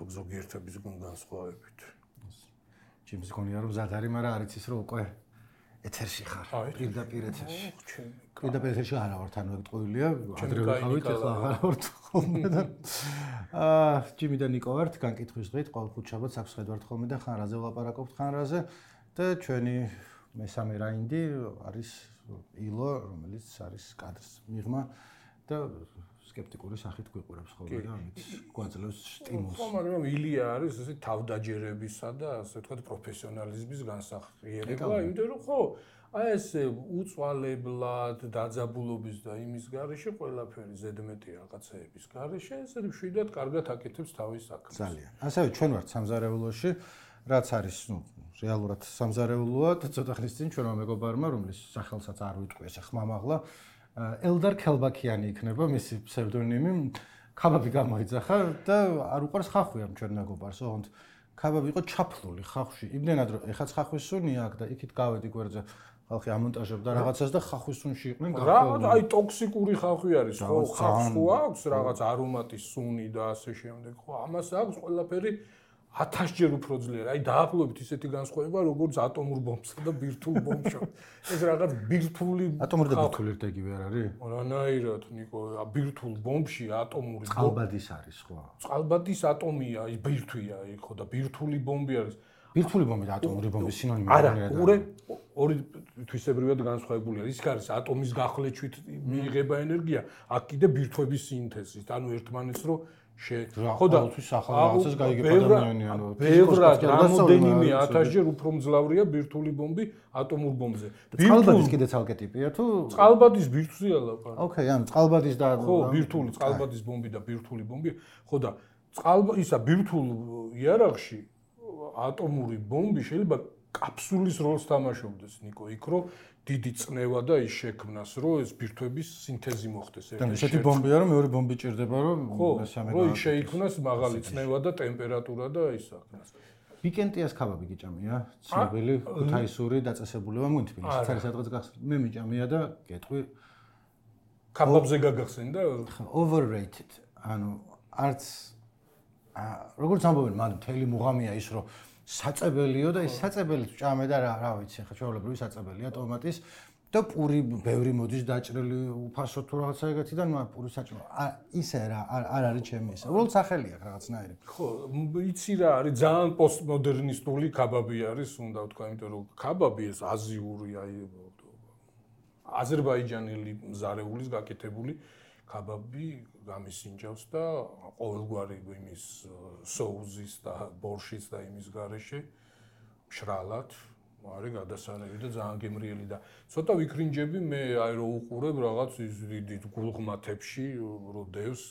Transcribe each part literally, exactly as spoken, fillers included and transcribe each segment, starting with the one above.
ზოგიერთების განსხვავებით. ჩემს გონია რომ ზად არის, მაგრამ არ იცის რომ უკვე ეთერში ხარ. პირდაპირ ეთერში. პირდაპირ ეთერში არა ვარ, თან ვეთყოილია, ადრე ვიყავით, ახლა აღარ ვართ ხოლმე და აა ჯიმი და ნიკო ვართ, განკითხვის დღით, ყოველ ხუთშაბათს აქვს ხედავთ ხოლმე და ხან რაზე ვლაპარაკობთ, ხან რაზე და ჩვენი მესამე რაინდი არის ილო, რომელიც არის კადრს მიღმა და სკეპტიკური სახით გვიყურებს ხოლმე და ამით გვაძლევს სტიმულს. ხო, მაგრამ ილია არის ესე თავდაჯერებისა და ასე ვთქვათ პროფესიონალიზმის განსახიერება, იმიტომ რომ ხო, აი ესე უწვალებლად დაძაბულობის და იმის გარეშე ყველაფერი ზედმეტი რაღაცეების გარეშე ესე მშვიდად კარგად აკეთებს თავის საქმეს. ძალიან. ასევე ჩვენ ვართ სამზარეულოში, რაც არის, ნუ, რეალურად სამზარეულოა და ცოტა ხნის წინ ჩვენმა მეგობარმა, რომლის სახელსაც არ ვიტყვი, ესე ხმამაღლა ელდარ ქელბაქიანი იქნება მისი ფსევდონიმი. ქაბაბი გამოიძახა და არ უყარს ხახვი ამ ჩვენ მეგობარს, ოღონდ ქაბაბი იყო ჩაფლული ხახვში. იმდენად რომ ეხაც ხახვის სუნი აქვს და იქით გავედი გვერდზე ხალხი ამონტაჟებდა რაღაცას და ხახვის სუნში იყვნენ გახვალ. რა, აი ტოქსიკური ხახვი არის, ხო, ხახს ხო აქვს რაღაც არომატის სუნი და ასე შემდეგ. ხო, ამას აქვს ყველაფერი ათასჯერ უფრო ძლიერ. აი დაახლოებით ისეთი განსხვავება, როგორც ატომურ ბომბსა და ბირთვულ ბომბში. ეს რაღაც ბირთვული ატომური და ბირთვული ერთგივე არ არის? რანაირად, ნიკო, ბირთვულ ბომბში ატომური წყალბადის არის, ხო? წყალბადის ატომია, ბირთვია, ხო და ბირთვული ბომბი არის. ბირთვული ბომბი და ატომური ბომბის სინონიმი არა, ორი ორი თვისებრივად განსხვავებული არის. ის არის ატომის გახლეჩვით მიიღება ენერგია, აქ კიდე ბირთვების სინთეზით. ანუ ერთმანეთს რო ხო და ყოველთვის ახალ რაღაცას გაიგებ ადამიანი, ანუ ბევრად რამოდენიმე ათასჯერ უფრო მძლავრია ბირთვული ბომბი ატომურ ბომბზე. წყალბადის კიდე ცალკე ტიპია თუ წყალბადის ბირთვზეა ლაპარაკი. ოკეი, ანუ წყალბადის და ხო, ბირთვული წყალბადის ბომბი და ბირთვული ბომბი. ხო და წყალბა ისა ბირთვულ იარაღში ატომური ბომბი შეიძლება კაფსულის როლს თამაშობდეს, ნიკო, იქ რო დიდი წნევა და ის შექმნას, რომ ეს ბირთვების სინთეზი მოხდეს ერთად. და ესეთი ბომბია, რომ მეორე ბომბი ჭირდება, რომ მესამე რომ ის შეიქმნას მაღალი წნევა და ტემპერატურა და ის აქნას. ვიკენტიას ქაბაბი გიჭამია? ცნობილი ქუთაისური დაწესებულება მგონი თბილისში. არის სადღაც გახსნით. მე მიჭამია და გეტყვი ქაბაბზე გაგახსენდა? overrated. ანუ არც როგორც ამბობენ, მან მთელი მუღამია ის, რომ საწებელიო და ის საწებელი ჭამე და რა, რა ვიცი, ხა ჩვეულებრივი საწებელია ტომატის და პური ბევრი მოდის დაჭრილი უფასო თუ რაღაცა ეგეთიდან, მაგრამ პური საჭმო. ისე რა, არ არის ჩემი ისე. უბრალოდ სახელი აქვს რაღაცნაირი. ხო, იცი რა არის, ძალიან პოსტმოდერნისტული ქაბაბი არის, უნდა ვთქვა, იმიტომ რომ ქაბაბი ეს აზიური, აი აზერბაიჯანელი მზარეულის გაკეთებული ქაბაბი გამისინჯავს და ყოველგვარი იმის соуზის და ბორშის და იმის გარეშე მშრალად არის გადასარევი და ძალიან გემრიელი და ცოტა ვიქრინჯები მე აი რო უყურებ რაღაც ის დიდი გულღმათებში რო დევს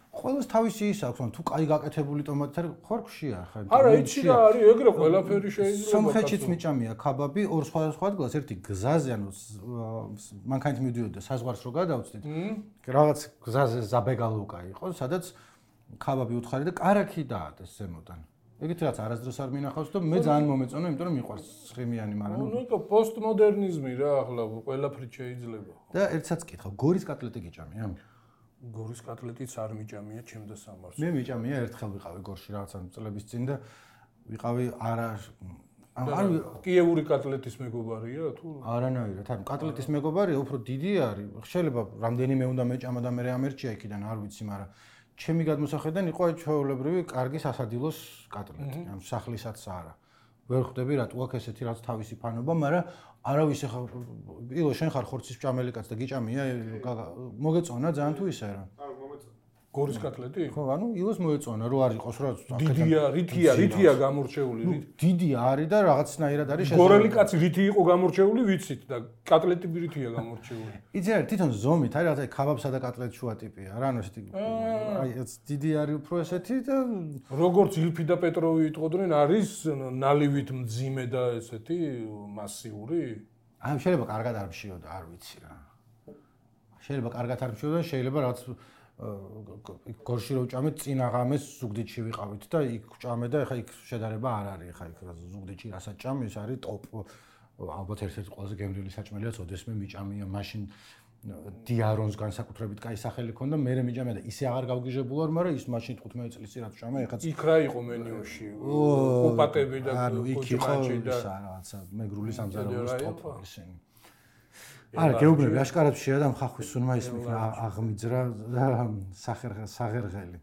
ყველას თავისი ის აქვს, თუ კაი გაკეთებული ტომატი არის, ხარ ხშია ხა. არა, იცი რა არის, ეგრე ყველაფერი შეიძლება. სომხეთშიც მიჭამია ქაბაბი ორ სხვადასხვა ადგილას, ერთი გზაზე, ანუ მანქანით მიდიოდა საზღვარს რო გადავწდით. რაღაც გზაზე ზაბეგალუკა იყო, სადაც ქაბაბი უთხარი და კარაქი დაადეს ზემოდან. ეგეთი რაც არასდროს არ მინახავს და მე ძალიან მომეწონა, იმიტომ რომ მიყვარს ცხიმიანი, მაგრამ ნუ ნუ პოსტმოდერნიზმი რა, ახლა ყველაფერი შეიძლება. და ერთსაც კითხავ, გორის კატლეტი გიჭამია? გორის კატლეტიც არ მიჭამია ჩემ და სამარს. მე მიჭამია ერთხელ ვიყავი გორში რაღაცა წლების წინ და ვიყავი არა არ კიევური კატლეტის მეგობარია თუ არანაირად. ანუ კატლეტის მეგობარია, უფრო დიდი არის. შეიძლება რამდენიმე უნდა მეჭამა და მე ამერჩია იქიდან, არ ვიცი, მაგრამ ჩემი გადმოსახედიდან იყო ჩვეულებრივი კარგი სასადილოს კატლეტი, ანუ სახლისაც არა. ვერ ხვდები რატო აქ ესეთი რაც თავისი ფანობა, მაგრამ არავის ახლა ილო შენ ხარ ხორცის ჭამელი კაც და გიჭამია მოგეწონა ძალიან თუ ისე რა. არა მომეწონა. გორის კატლეტი? ხო, ანუ ილოს მოეწონა რო არ იყოს რა. დიდია, რითია, რითია გამორჩეული, რით? დიდი არის და რაღაცნაირად არის შესაძლებელი. გორელი კაცი რითი იყო გამორჩეული, ვიცით და კატლეტი რითია გამორჩეული. იცი რა, თვითონ ზომით არის რაღაცა ქაბაბსა და კატლეტ შუა ტიპია რა, ანუ ესეთი აი ეს დიდი არის უფრო ესეთი და როგორც ილფი და პეტროვი იტყოდნენ, არის ნალივით მძიმე და ესეთი მასიური. აი შეიძლება კარგად არ მშიოდა, არ ვიცი რა. შეიძლება კარგად არ მშიოდა, შეიძლება რაღაც გორში რო ვჭამეთ წინა ღამეს ზუგდიდში ვიყავით და იქ ვჭამე და ეხა იქ შედარება არ არის, ეხა იქ ზუგდიდში რასაც ჭამე, ეს არის ტოპ ალბათ ერთ-ერთი ყველაზე გემრიელი საჭმელია, ოდესმე მიჭამია, მაშინ დიარონს განსაკუთრებით კაი სახელი ქონდა, მე მიჯამე და ისე აღარ გავგიჟებულ ვარ, მაგრამ ის მაშინ თხუთმეტი წლის წინ რაც ვშამა, ეხაც იქ რა იყო მენიუში? კუპატები და კოჭმაჭი და რაღაცა მეგრული სამზარეულოს ტოპ ისინი. არა, გეუბნები, აშკარად შეადამ ხახვის სუნმა ის აღმიძრა და საღერღელი.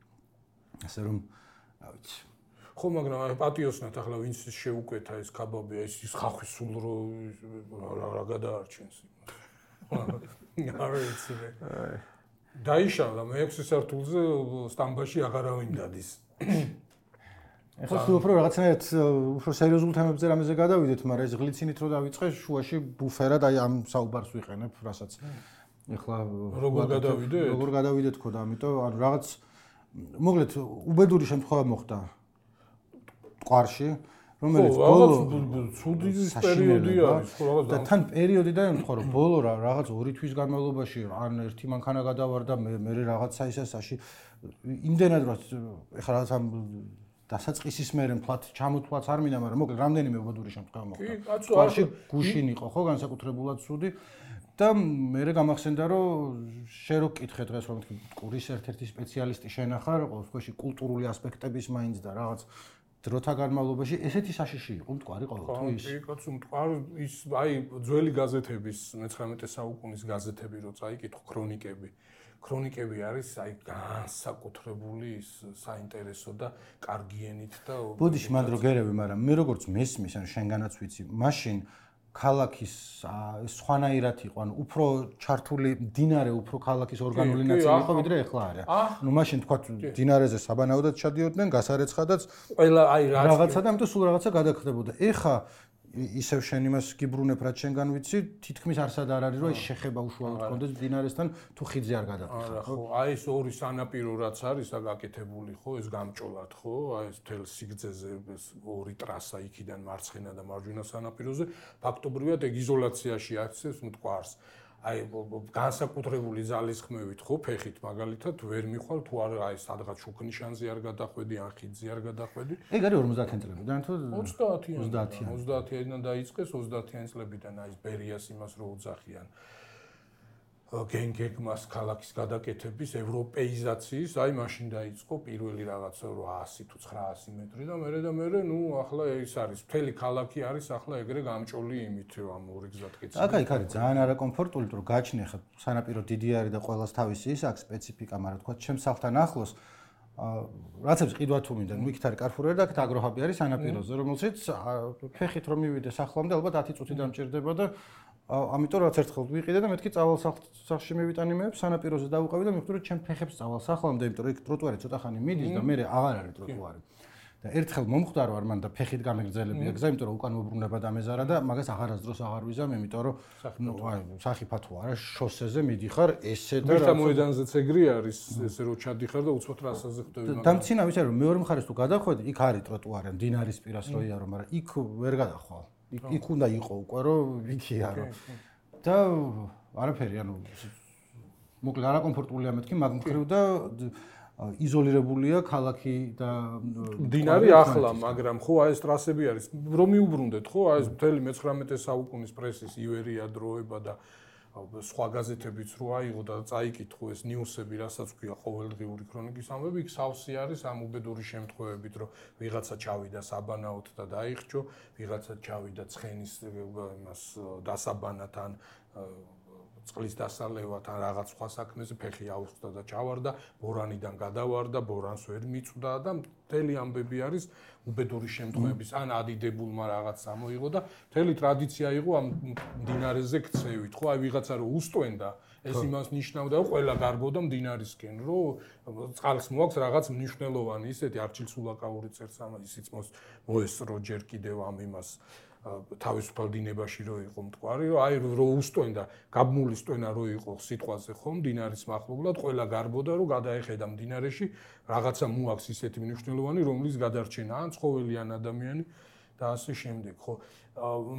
ასე რომ, რა ვიცი. ხო, მაგრამ პატიოსნად ახლა ვინც შეუკვეთა ეს კაბაბი, ეს ის ხახვის სულ რა გადაარჩენს. არა ვიცი მე. დაიშალა მეექვსე სართულზე სტამბაში აღარავინ დადის. ეხლა თუ უფრო რაღაცნაირად უფრო სერიოზულ თემებზე რამეზე გადავიდეთ, მაგრამ ეს გლიცინით რო დავიწყე, შუაში ბუფერად აი ამ საუბარს ვიყენებ, რასაც ეხლა როგორ გადავიდეთ? როგორ გადავიდეთ ხო და ამიტომ ანუ რაღაც მოკლედ უბედური შემთხვევა მოხდა ტყვარში, რომელიც ბოლო ცუდი პერიოდი არის, ხო რაღაც და თან პერიოდიდან ემთხვა რომ ბოლო რაღაც ორი თვის განმავლობაში ან ერთი მანქანა გადავარდა, მე მე რაღაცა ისასაში იმდენად რომ ეხლა რაღაც ამ დასაწყისის მერე მთლად ჩამოთვლაც არ მინდა, მაგრამ მოკლედ რამდენიმე უბედური შემთხვევა მოხდა. ტყვარში გუშინ იყო ხო განსაკუთრებულად ცუდი და მე გამახსენდა რომ შე რო კითხე დღეს რომ თქვი ტყურის ერთ-ერთი სპეციალისტი შენახარ, ყოველ შემთხვევაში კულტურული ასპექტების მაინც და რაღაც დროთა განმავლობაში ესეთი საშიში იყო მტკვარი ყოველთვის. კი, კაცო, მტკვარი ის აი ძველი გაზეთების მეცხრამეტე საუკუნის გაზეთები რო წაიკითხო ქრონიკები. ქრონიკები არის აი განსაკუთრებული ის საინტერესო და კარგიენით და ბოდიში მანდ რო გერევი, მაგრამ მე როგორც მესმის, ანუ შენგანაც ვიცი, მაშინ ქალაქის სხვანაირად იყო, ანუ უფრო ჩართული მდინარე, უფრო ქალაქის ორგანული ნაწილი იყო, ვიდრე ახლა არის. ნუ მაშინ თქვა მდინარეზე საბანაოდად ჩადიოდნენ, გასარეცხადაც ყველა აი რაღაცა და ამიტომ სულ რაღაცა გადაგხდებოდა. ეხა ისევ შენ იმას გიბრუნებ, რაც შენგან ვიცი, თითქმის არსად არ არის, რომ ეს შეხება უშუალოდ კონდეს მდინარესთან, თუ ხიდზე არ გადაყრა. არა, ხო, აი ეს ორი სანაპირო რაც არის, გაკეთებული, ხო, ეს გამჭოლად, ხო, აი ეს თელ სიგრძეზე ეს ორი ტრასა იქიდან მარცხენა და მარჯვენა სანაპიროზე, ფაქტობრივად ეგ იზოლაციაში აქცევს მტკვარს. აი განსაკუთრებული ძალისხმევით, ხო, ფეხით მაგალითად ვერ მიხვალ თუ არ აი სადღაც შუქნიშანზე არ გადახვედი, ან ხიდზე არ გადახვედი. ეგ არის ორმოცდაათი წლებიდან თუ ოცდაათი ოცდაათიდან დაიწყეს, ოცდაათიან წლებიდან აი ეს ბერიას იმას რო უძახიან. გენგეგმას ქალაქის გადაკეთების ევროპეიზაციის, აი მაშინ დაიწყო პირველი რაღაცა რვაასი თუ ცხრაასი მეტრი და მერე და მერე, ნუ ახლა ეს არის მთელი ქალაქი არის ახლა ეგრე გამჭოლი იმით ამ ორი გზად კეთილი. აკა იქ არის ძალიან არაკომფორტული, რომ გაჩნი ხა სანაპირო დიდი არის და ყოველას თავისი ის აქვს სპეციფიკა, მაგრამ თქვა ჩემს სახლთან ახლოს რაცებს ყიდვა თუ მინდა, ნუ იქით არის კარფურერი და აქ აგროჰაბი არის სანაპიროზე, რომელშიც ფეხით რომ მივიდე სახლამდე ალბათ ათი წუთი დამჭირდება და ამიტომ რაც ერთხელ ვიყიდე და მეთქი წავალ სახლში მივიტანი მე სანაპიროზე დავუყევი და მივხვდი რომ ჩემ ფეხებს წავალ სახლამდე, იმიტომ რომ იქ ტროტუარი ცოტა ხანი მიდის და მე აღარ არის ტროტუარი. და ერთხელ მომხვდა რომ არ მან და ფეხით გამეგრძელებია გზა, იმიტომ რომ უკან მოbrunება დამეზარა და მაგას აღარასდროს აღარ ვიზამ, იმიტომ რომ ნუ აი სახიფათო არა, შოსეზე მიდიხარ ესე და რა მოედანზეც ეგრე არის, ესე რომ ჩადიხარ და უცბად რასაზე ხვდები მაგას. დამცინა ვიცი რომ მეორე მხარეს თუ გადახვედი, იქ არის ტროტუარი, მდინარის პირას რო იარო, მაგრამ იქ ვერ გადახვალ. იქ უნდა იყო უკვე რომ იქია რომ და არაფერი ანუ მოკლედ არაკომფორტულია მეთქი მაგ მხრივ და იზოლირებულია ქალაქი და მდინარე ახლა, მაგრამ ხო აი ეს ტრასები არის რომ მიუბრუნდეთ ხო აი ეს მთელი მეცხრამეტე საუკუნის პრესის ივერია დროება და სხვა გაზეთებიც რო აიღო და წაიკითხო ეს ნიუსები, რასაც ქვია ყოველდღიური ქრონიკის ამბები, იქ სავსე არის ამ უბედური შემთხვევებით, რომ ვიღაცა ჩავიდა საბანაოდ და დაიხჭო, ვიღაცა ჩავიდა ცხენის იმას დასაბანად ან წყლის დასალევად ან რაღაც სხვა საქმეზე ფეხი აუხსდა და ჩავარდა, ბორანიდან გადავარდა, ბორანს ვერ მიწვდა და მთელი ამბები არის უბედური შემთხვევების, ან ადიდებულმა რაღაც ამოიღო და მთელი ტრადიცია იყო ამ მდინარეზე ქცევით, ხო, აი ვიღაცა რო უსტვენდა, ეს იმას ნიშნავდა, რომ ყველა გარბოდა მდინარისკენ, რომ წყალს მოაქვს რაღაც მნიშვნელოვანი ისეთი არჩილ სულაკაური წერს ამ ისიც მოესწრო ჯერ კიდევ ამ იმას თავისუფალ დინებაში რო იყო მტკვარი, რომ აი რო უსტვენდა, გაბმული სტვენა რო იყო სიტყვაზე ხო, მდინარის მახლობლად, ყველა გარბოდა, რომ გადაეხედა მდინარეში, რაღაცა მოაქვს ისეთი მნიშვნელოვანი, რომლის გადარჩენა ან ცხოველი ან ადამიანი და ასე შემდეგ, ხო.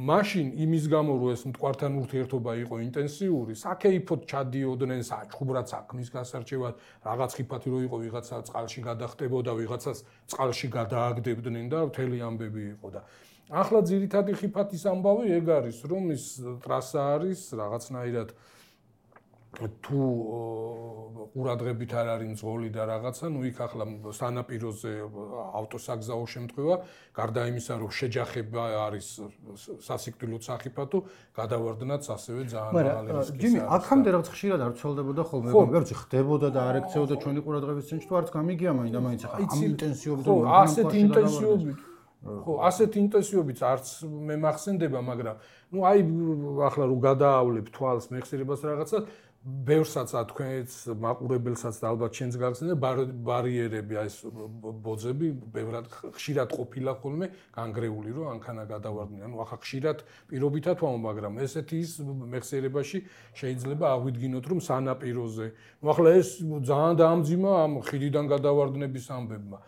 მაშინ იმის გამო, რომ ეს მტკვართან ურთიერთობა იყო ინტენსიური, საკეიფოდ ჩადიოდნენ საჩხუბრად საქმის გასარჩევად, რაღაც ხიფათი რო იყო, ვიღაცა წყალში გადახტებოდა, ვიღაცას წყალში გადააგდებდნენ და მთელი ამბები იყო და ახლა ძირითადი ხიფათის ამბავი ეგ არის, რომ ის ტრასა არის რაღაცნაირად თუ ყურადღებით არ არის მძღოლი და რაღაცა, ნუ იქ ახლა სანაპიროზე ავტოსაგზაო შემთხვევა, გარდა იმისა, რომ შეჯახება არის სასიკვდილო სახიფათო, გადავარდნაც ასევე ძალიან მაღალი რისკის არის. ჯიმი, აქამდე რაღაც ხშირად არ ცელდებოდა ხოლმე, მაგრამ ხდებოდა და არ ექცეოდა ჩვენი ყურადღების ცენტრში, თუ არც გამიგია მაინდა მაინც ახლა ამ ინტენსივობით ხო, ასეთ ინტენსივობით ხო, ასეთ ინტენსივობით არც მე მახსენდება, მაგრამ ნუ აი ახლა რომ გადაავლებ თვალს მეხსიერებას რაღაცა ბევრსაც თქვენს მაყურებელსაც და ალბათ ჩვენს გახსენდა ბარიერები აი ეს ბოძები ბევრად ხშირად ყოფილა ხოლმე განგრეული რომ ანქანა გადავარდნიან. ნუ ახლა ხშირად პირობითად ვამბობ, მაგრამ ესეთი ის მეხსიერებაში შეიძლება აღვიდგინოთ რომ სანაპიროზე. ნუ ახლა ეს ძალიან დაამძიმა ამ ხიდიდან გადავარდნების ამბებმა.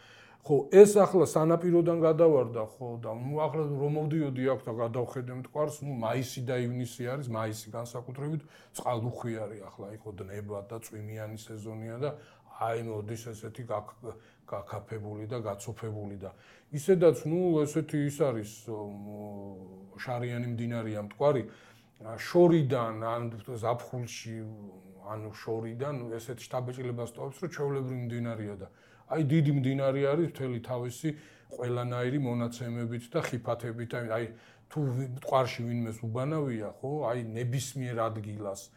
ხო, ეს ახლა სანაპიროდან გადავარდა, ხო, და ნუ ახლა რომ მოვდიოდი აქ და გადავხედე მტკვარს, ნუ მაისი და ივნისი არის, მაისი განსაკუთრებით წყალუხვი არის ახლა იყო დნება და წვიმიანი სეზონია და აი მოდის ესეთი გაკაფებული და გაცოფებული და ისედაც ნუ ესეთი ის არის შარიანი მდინარეა მტკვარი შორიდან ან ზაფხულში ანუ შორიდან ესეთი შთაბეჭდილებას ტოვებს რომ ჩვეულებრივი მდინარეა და აი დიდი მდინარე არის მთელი თავისი ყველანაირი მონაცემებით და ხიფათებით. აი თუ მტკვარში ვინმეს უბანავია, ხო, აი ნებისმიერ ადგილას.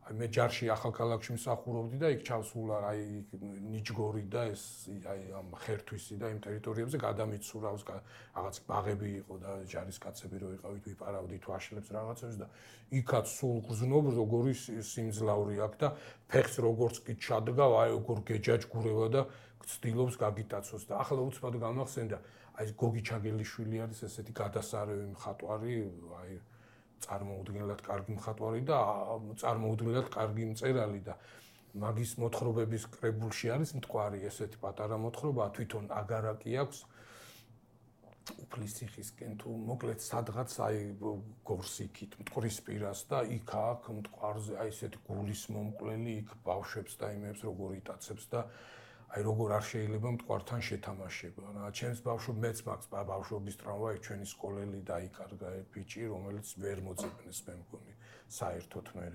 აი მე ჯარში ახალქალაქში მსახურობდი და იქ ჩავსულა აი ნიჯგორი და ეს აი ამ ხერთვისი და იმ ტერიტორიებზე გადამიცურავს რაღაც ბაღები იყო და ჯარისკაცები რო იყავით ვიპარავდით ვაშლებს რაღაცებს და იქაც სულ გრძნობ როგორი სიმძლავრი აქვს და ფეხს როგორც კი ჩადგავ აი როგორ გეჯაჯგურება და ცდილობს გაგიტაცოს და ახლა უცბად გამახსენდა აი გოგი ჩაგელიშვილი არის ესეთი გადასარევი მხატვარი აი წარმოუდგენლად კარგი მხატვარი და წარმოუდგენლად კარგი მწერალი და მაგის მოთხრობების კრებულში არის მტკვარი ესეთი პატარა მოთხრობა თვითონ აგარაკი აქვს უფლისციხისკენ თუ მოკლედ სადღაც აი გორსიქით მტკვრის პირას და იქ აქ მტკვარზე აი ესეთი გულის მომკვლელი იქ ბავშვებს და იმებს როგორ იტაცებს და აი როგორ არ შეიძლება მტკვართან შეთამაშება. რა ჩემს ბავშვ მეც მაქვს ბავშვობის ტრავმა, იქ ჩვენი სკოლელი დაიკარგა ბიჭი, რომელიც ვერ მოწებნეს მე მგონი საერთოდ მე.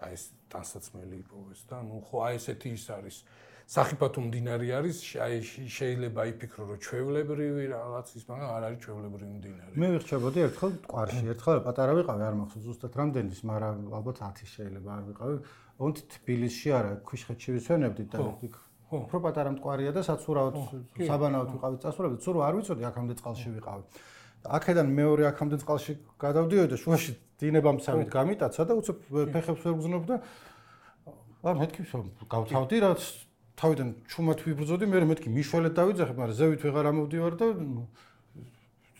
აი ეს ტანსაცმელი იპოვეს და ნუ ხო აი ესეთი ის არის. სახიფათო მდინარე არის, აი შეიძლება იფიქრო რომ ჩვეულებრივი რაღაც ის, მაგრამ არ არის ჩვეულებრივი მდინარე. მე ვიხჩებოდი ერთხელ მტკვარში, ერთხელ პატარა ვიყავი, არ მახსოვს ზუსტად რამდენის, მაგრამ ალბათ ათი შეიძლება არ ვიყავი. ოღონდ თბილისში არა, ქვიშხეთში ვისვენებდით და იქ უფრო პატარა მტკვარია და საცურავად საბანაოდ ვიყავით წასულებით, სულ არ ვიცოდი აქამდე წყალში ვიყავი. აქედან მეორე აქამდე წყალში გადავდიოდი და შუაში დინებამცავით გამიტაცა და უცებ ფეხებს ვერ ვგზნობ და აა მეთქი გავთავდი რაც თავიდან ჩუმად ვიბრძოდი, მე მეთქი მიშველეთ დავიძახებ, მაგრამ ზევით ვეღარ ამოვდივარ და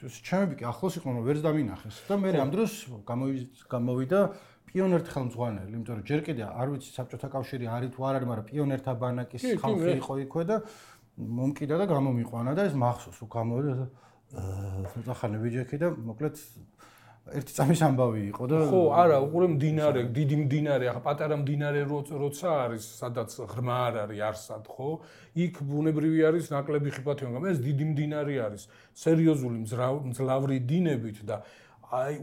ჩემები კი ახლოს იყვნენ, რომ ვერც დამინახეს და მე ამ დროს გამოვიდა პიონერთა ხელმძღვანელი, იმიტომ რომ ჯერ კიდე არ ვიცი საბჭოთა კავშირი არის თუ არ არის, მაგრამ პიონერთა ბანაკის ხალხი იყო იქვე და მომკიდა და გამომიყვანა და ეს მახსოვს, რომ გამოვიდა და ცოტა ხანი ვიჯექი და მოკლედ ერთი წამის ამბავი იყო და ხო, არა, უყურე მდინარე, დიდი მდინარე, ახლა პატარა მდინარე როცა არის, სადაც ღრმა არ არის არსად, ხო? იქ ბუნებრივი არის ნაკლები ხიფათი, მაგრამ ეს დიდი მდინარე არის, სერიოზული მძლავრი დინებით და აი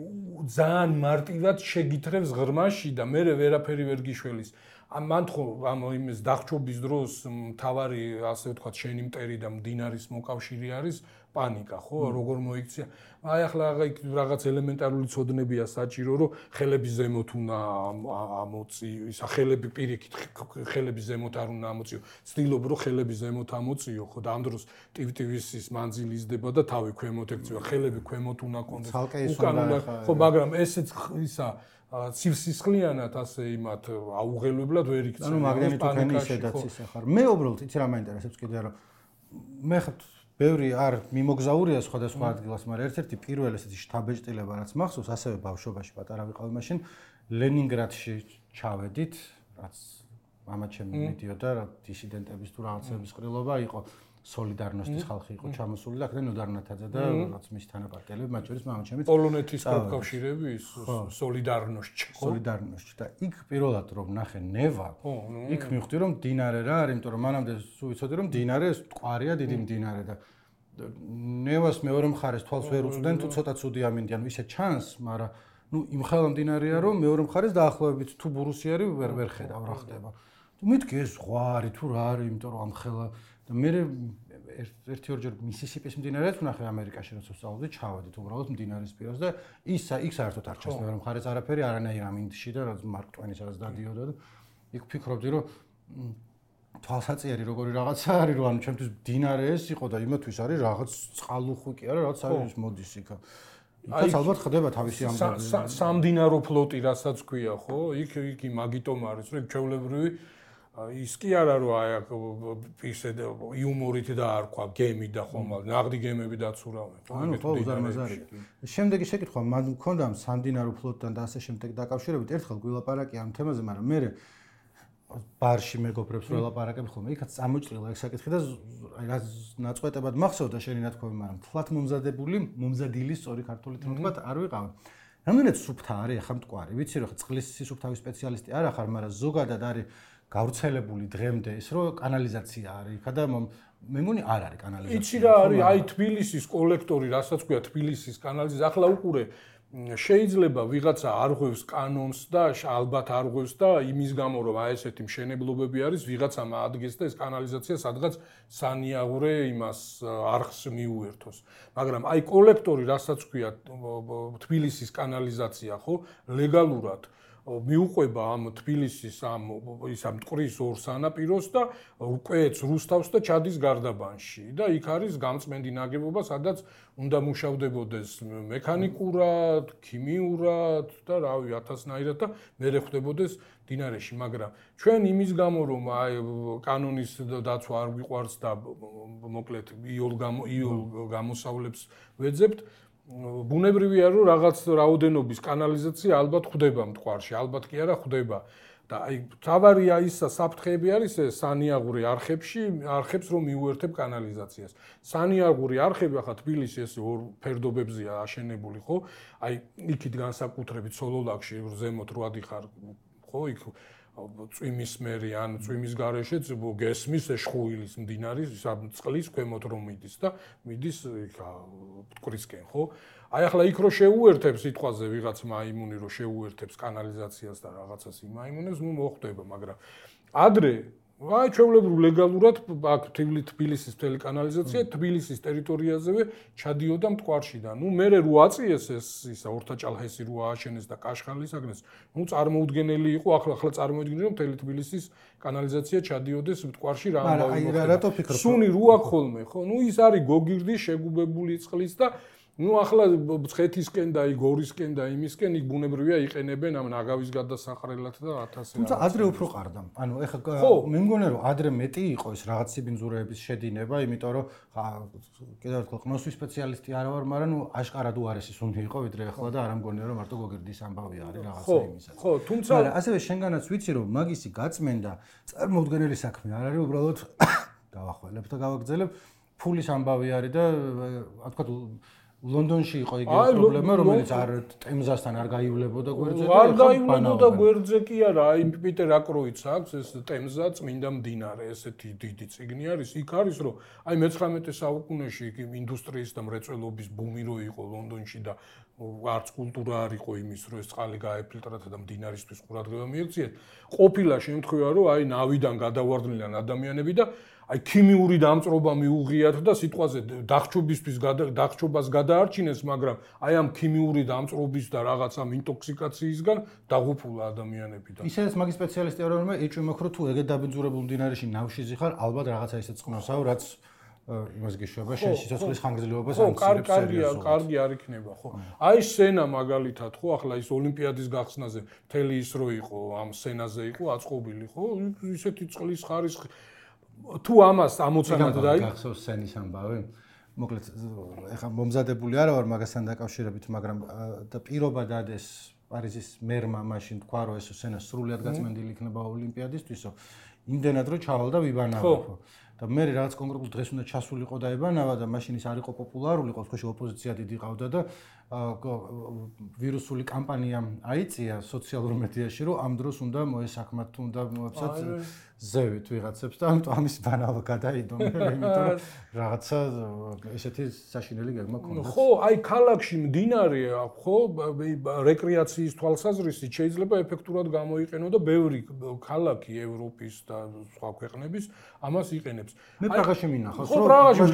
ძალიან მარტივად შეგითრევს ღრმაში და მე ვერაფერი ვერ გიშველის. მან ხო ამ იმის დახჭობის დროს მთავარი ასე ვთქვათ შენი მტერი და მდინარის მოკავშირე არის პანიკა, ხო? როგორ მოიქცია? აი ახლა რაღაც ელემენტარული ცოდნებია საჭირო, რომ ხელების ზემოთ უნდა ამოწი, ისა ხელები პირიქით ხელების ზემოთ არ უნდა ამოწიო. ცდილობ რომ ხელების ზემოთ ამოწიო, ხო? და ამ დროს ტივ-ტივის მანძილი იზრდება და თავი ქვემოთ ექცევა, ხელები ქვემოთ უნდა კონდეს. უკან უნდა ხო, მაგრამ ესეც ისა ცივსისხლიანად ასე იმათ აუღელებლად ვერ იქცევა. ანუ მაგნიტოფონი ისედაც ისე ხარ. მე უბრალოდ იცი რა მაინტერესებს კიდე რომ მე ხარ ბევრი არ მიმოგზაურია სხვადასხვა ადგილას, მაგრამ ერთ-ერთი პირველი ესეთი შთაბეჭდილება რაც მახსოვს, ასევე ბავშვობაში პატარა ვიყავი მაშინ ლენინგრადში ჩავედით, რაც მამა ჩემი მიდიოდა რა დისიდენტების თუ რაღაცების ყრილობა იყო, სოლიდარნოსტის ხალხი იყო ჩამოსული და აქედან ნოდარნათაძე და რაც მის თანაპარტიელები, მათ შორის მამა ჩემიც პოლონეთის პროფკავშირები სოლიდარნოსტში, სოლიდარნოსტში და იქ პირველად რომ ნახე ნევა, იქ მივხვდი რომ მდინარე რა არის, იმიტომ რომ მანამდე სულ ვიცოდი რომ მდინარე მტკვარია, დიდი მდინარე და ნევას მეორე მხარეს თვალს ვერ უწვდნენ თუ ცოტა ცუდი ამინდიან, ისე ჩანს, მაგრამ ნუ იმ ხელა მდინარეა რომ მეორე მხარეს დაახლოებით თუ ბურუსიარი ვერ ვერ ხედავ რა ხდება. თუ მეთქი ეს ზღვარი თუ რა არის, იმიტომ რომ ამ ხელა და მე ერთი ორჯერ მისისიპის მდინარეც ვნახე ამერიკაში როცა ვსწავლობდი, ჩავედით უბრალოდ მდინარის პირას და ის იქ საერთოდ არ ჩანს მეორე მხარეს არაფერი, არანაირ ამინდში და რაც მარკ ტვენის დადიოდა და იქ ფიქრობდი რომ თვალსაწიერი როგორი რაღაცა არის რომ ანუ ჩემთვის მდინარე ეს იყო და იმათვის არის რაღაც წყალუხვი კი არა რაღაც არის მოდის იქ. იქაც ალბათ ხდება თავისი ამბავი. სამდინარო ფლოტი რასაც ქვია ხო? იქ იქ მაგიტომ არის რომ ჩვეულებრივი ის კი არა რომ აი ისე იუმორით დაარქვა გემი და ხომ ნაღდი გემები დაცურავენ ხო? ანუ ხო უზარმაზარი. შემდეგი შეკითხვა მან მქონდა სამდინარო ფლოტთან და ასე შემდეგ დაკავშირებით ერთხელ გვილაპარაკი ამ თემაზე, მაგრამ მე ბარში მეგობრებს ველაპარაკებ ხოლმე, იქაც წამოჭრილა ეს საკითხი და აი ნაწყვეტებად მახსოვდა შენი ნათქვამი, მაგრამ თლათ მომზადებული, მომზადილი სწორი ქართული თქმით არ ვიყავ. რამდენად სუფთა არის ახლა მტკვარი? ვიცი რომ წყლის სისუფთავის სპეციალისტი არ ახარ, მაგრამ ზოგადად არის გავრცელებული დღემდე ის რომ კანალიზაცია არის იქა და მე მგონი არ არის კანალიზაცია. იცი რა არის, აი თბილისის კოლექტორი, რასაც ქვია თბილისის კანალიზაცია, ახლა უყურე შეიძლება ვიღაცა არ ღვევს კანონს და ალბათ არ ღვევს და იმის გამო რომ აი ესეთი მშენებლობები არის ვიღაცამ ადგეს და ეს კანალიზაცია სადღაც სანიაღურე იმას არხს მიუერთოს. მაგრამ აი კოლექტორი რასაც ქვია თბილისის კანალიზაცია ხო ლეგალურად მიუყვება ამ თბილისის ამ ის ამ მტკვრის ორ სანაპიროს და კვეთს რუსთავს და ჩადის გარდაბანში და იქ არის გამწმენდი ნაგებობა, სადაც უნდა მუშავდებოდეს მექანიკურად, ქიმიურად და რავი ათასნაირად და მერე ხვდებოდეს მდინარეში, მაგრამ ჩვენ იმის გამო რომ აი კანონის დაცვა არ გვიყვარს და მოკლედ იოლ იოლ გამოსავლებს ვეძებთ ბუნებრივია რომ რაღაც რაოდენობის კანალიზაცია ალბათ ხვდება მტკვარში, ალბათ კი არა ხვდება და აი თავარია ისა საფრთხეები არის ეს სანიაღური არხებში, არხებს რომ მიუერთებ კანალიზაციას. სანიაღური არხები ახლა თბილისი ეს ორ ფერდობებზეა აშენებული ხო? აი იქით განსაკუთრებით სოლოლაკში ზემოთ რო ადიხარ ხო იქ წვიმის მერი ან წვიმის გარეშეც გესმის შხუილის მდინარის წყლის ქვემოთ რომ მიდის და მიდის მტკვრისკენ ხო? აი ახლა იქ რო შეუერთებს სიტყვაზე ვიღაც მაიმუნი რო შეუერთებს კანალიზაციას და რაღაცას იმაიმუნებს, ნუ მოხდება, მაგრამ ადრე აი ჩვეულებრივ ლეგალურად აქ თბილისის მთელი კანალიზაცია თბილისის ტერიტორიაზევე ჩადიოდა მტკვარში და ნუ მერე რო აწიეს ეს ისა ორთაჭალჰესი რო ააშენეს და კაშხალის აგნეს, ნუ წარმოუდგენელი იყო ახლა ახლა წარმოუდგენელი რომ მთელი თბილისის კანალიზაცია ჩადიოდეს მტკვარში რა ამბავი მოხდა. სუნი რო აქ ხოლმე ხო? ნუ ის არის გოგირდის შეგუბებული წყლის და ნუ ახლა ცხეთისკენ და იგორისკენ და იმისკენ იქ ბუნებრივია იყენებენ ამ ნაგავის გადასახრელად და ათასი. თუმცა ადრე უფრო ყარდა. ანუ ეხლა მე მგონია რომ ადრე მეტი იყო ეს რაღაც სიბინძურეების შედინება, იმიტომ რომ კიდევ ერთხელ ყნოსვის სპეციალისტი არ ვარ, მაგრამ ნუ აშკარად უარესი სუნი იყო ვიდრე ახლა და არ მგონია რომ მარტო გოგირდის ამბავი არის რაღაცა იმისა. ხო, თუმცა მაგრამ ასევე შენგანაც ვიცი რომ მაგისი გაწმენდა წარმოუდგენელი საქმე არ არის, უბრალოდ გავახველებ და გავაგრძელებ ფულის ამბავი არის და რა თქვა ლონდონში იყო იგივე პრობლემა, რომელიც არ ტემზასთან არ გაივლებოდა გვერდზე და არ გაივლებოდა გვერდზე კი არა, აი პიტერ აკროიც აქვს ეს ტემზა წმინდა მდინარე, ესეთი დიდი წიგნი არის, იქ არის რომ აი მეცხრამეტე საუკუნეში იქ ინდუსტრიის და მრეწველობის ბუმი რო იყო ლონდონში და არც კულტურა არ იყო იმის რომ ეს წყალი გაეფილტრათა და მდინარისთვის ყურადღება მიექციეთ. ყოფილა შემთხვევა რომ აი ნავიდან გადავარდნილან ადამიანები და აი ქიმიური დამწრობა მიუღიათ და სიტყვაზე დახჩობისთვის დახჩობას გადაარჩინეს, მაგრამ აი ამ ქიმიური დამწრობის და რაღაცა ინტოქსიკაციისგან დაღუპულა ადამიანები და ისედაც მაგის სპეციალისტი არ ვარ, ეჭვი მაქვს რომ თუ ეგეთ დაბინძურებულ მდინარეში ნავში ზიხარ, ალბათ რაღაცა ისე წყნოსაო, რაც იმას გიშვება შენ სიცოცხლის ხანგრძლივობას ამცირებს სერიოზულად. ხო, კარგი არ იქნება, ხო. აი სენა მაგალითად, ხო, ახლა ის ოლიმპიადის გახსნაზე მთელი ის რო იყო, ამ სენაზე იყო აწყობილი, ხო, ისეთი წყლის ხარისხი თუ ამას ამოცანად დაი გახსოვს სენის ამბავი? მოკლედ ეხა მომზადებული არა ვარ მაგასთან დაკავშირებით, მაგრამ და პირობა დადეს პარიზის მერმა მაშინ თქვა რომ ეს სენა სრულად გაწმენდილი იქნება ოლიმპიადისთვისო. იმდენად რომ ჩავალდა ვიბანავა ხო. და მე რაღაც კონკრეტულ დღეს უნდა ჩასულიყო და ებანავა და მაშინ ის არ იყო პოპულარული, ყოველთვის ოპოზიცია დიდი ყავდა და ვირუსული კამპანია აიწია სოციალურ მედიაში, რომ ამ დროს უნდა მოესაქმათ, უნდა მოეცათ ზევით ვიღაცებს და ამიტომ ამის ბანალა გადაიდო მე, იმიტომ რომ რაღაცა ესეთი საშინელი გეგმა ქონდა. ხო, აი ქალაქში მდინარე, ხო, რეკრეაციის თვალსაზრისით შეიძლება ეფექტურად გამოიყენო და ბევრი ქალაქი ევროპის და სხვა ქვეყნების ამას იყენებს. მე პრაღაში მინახავს, რომ პრაღაში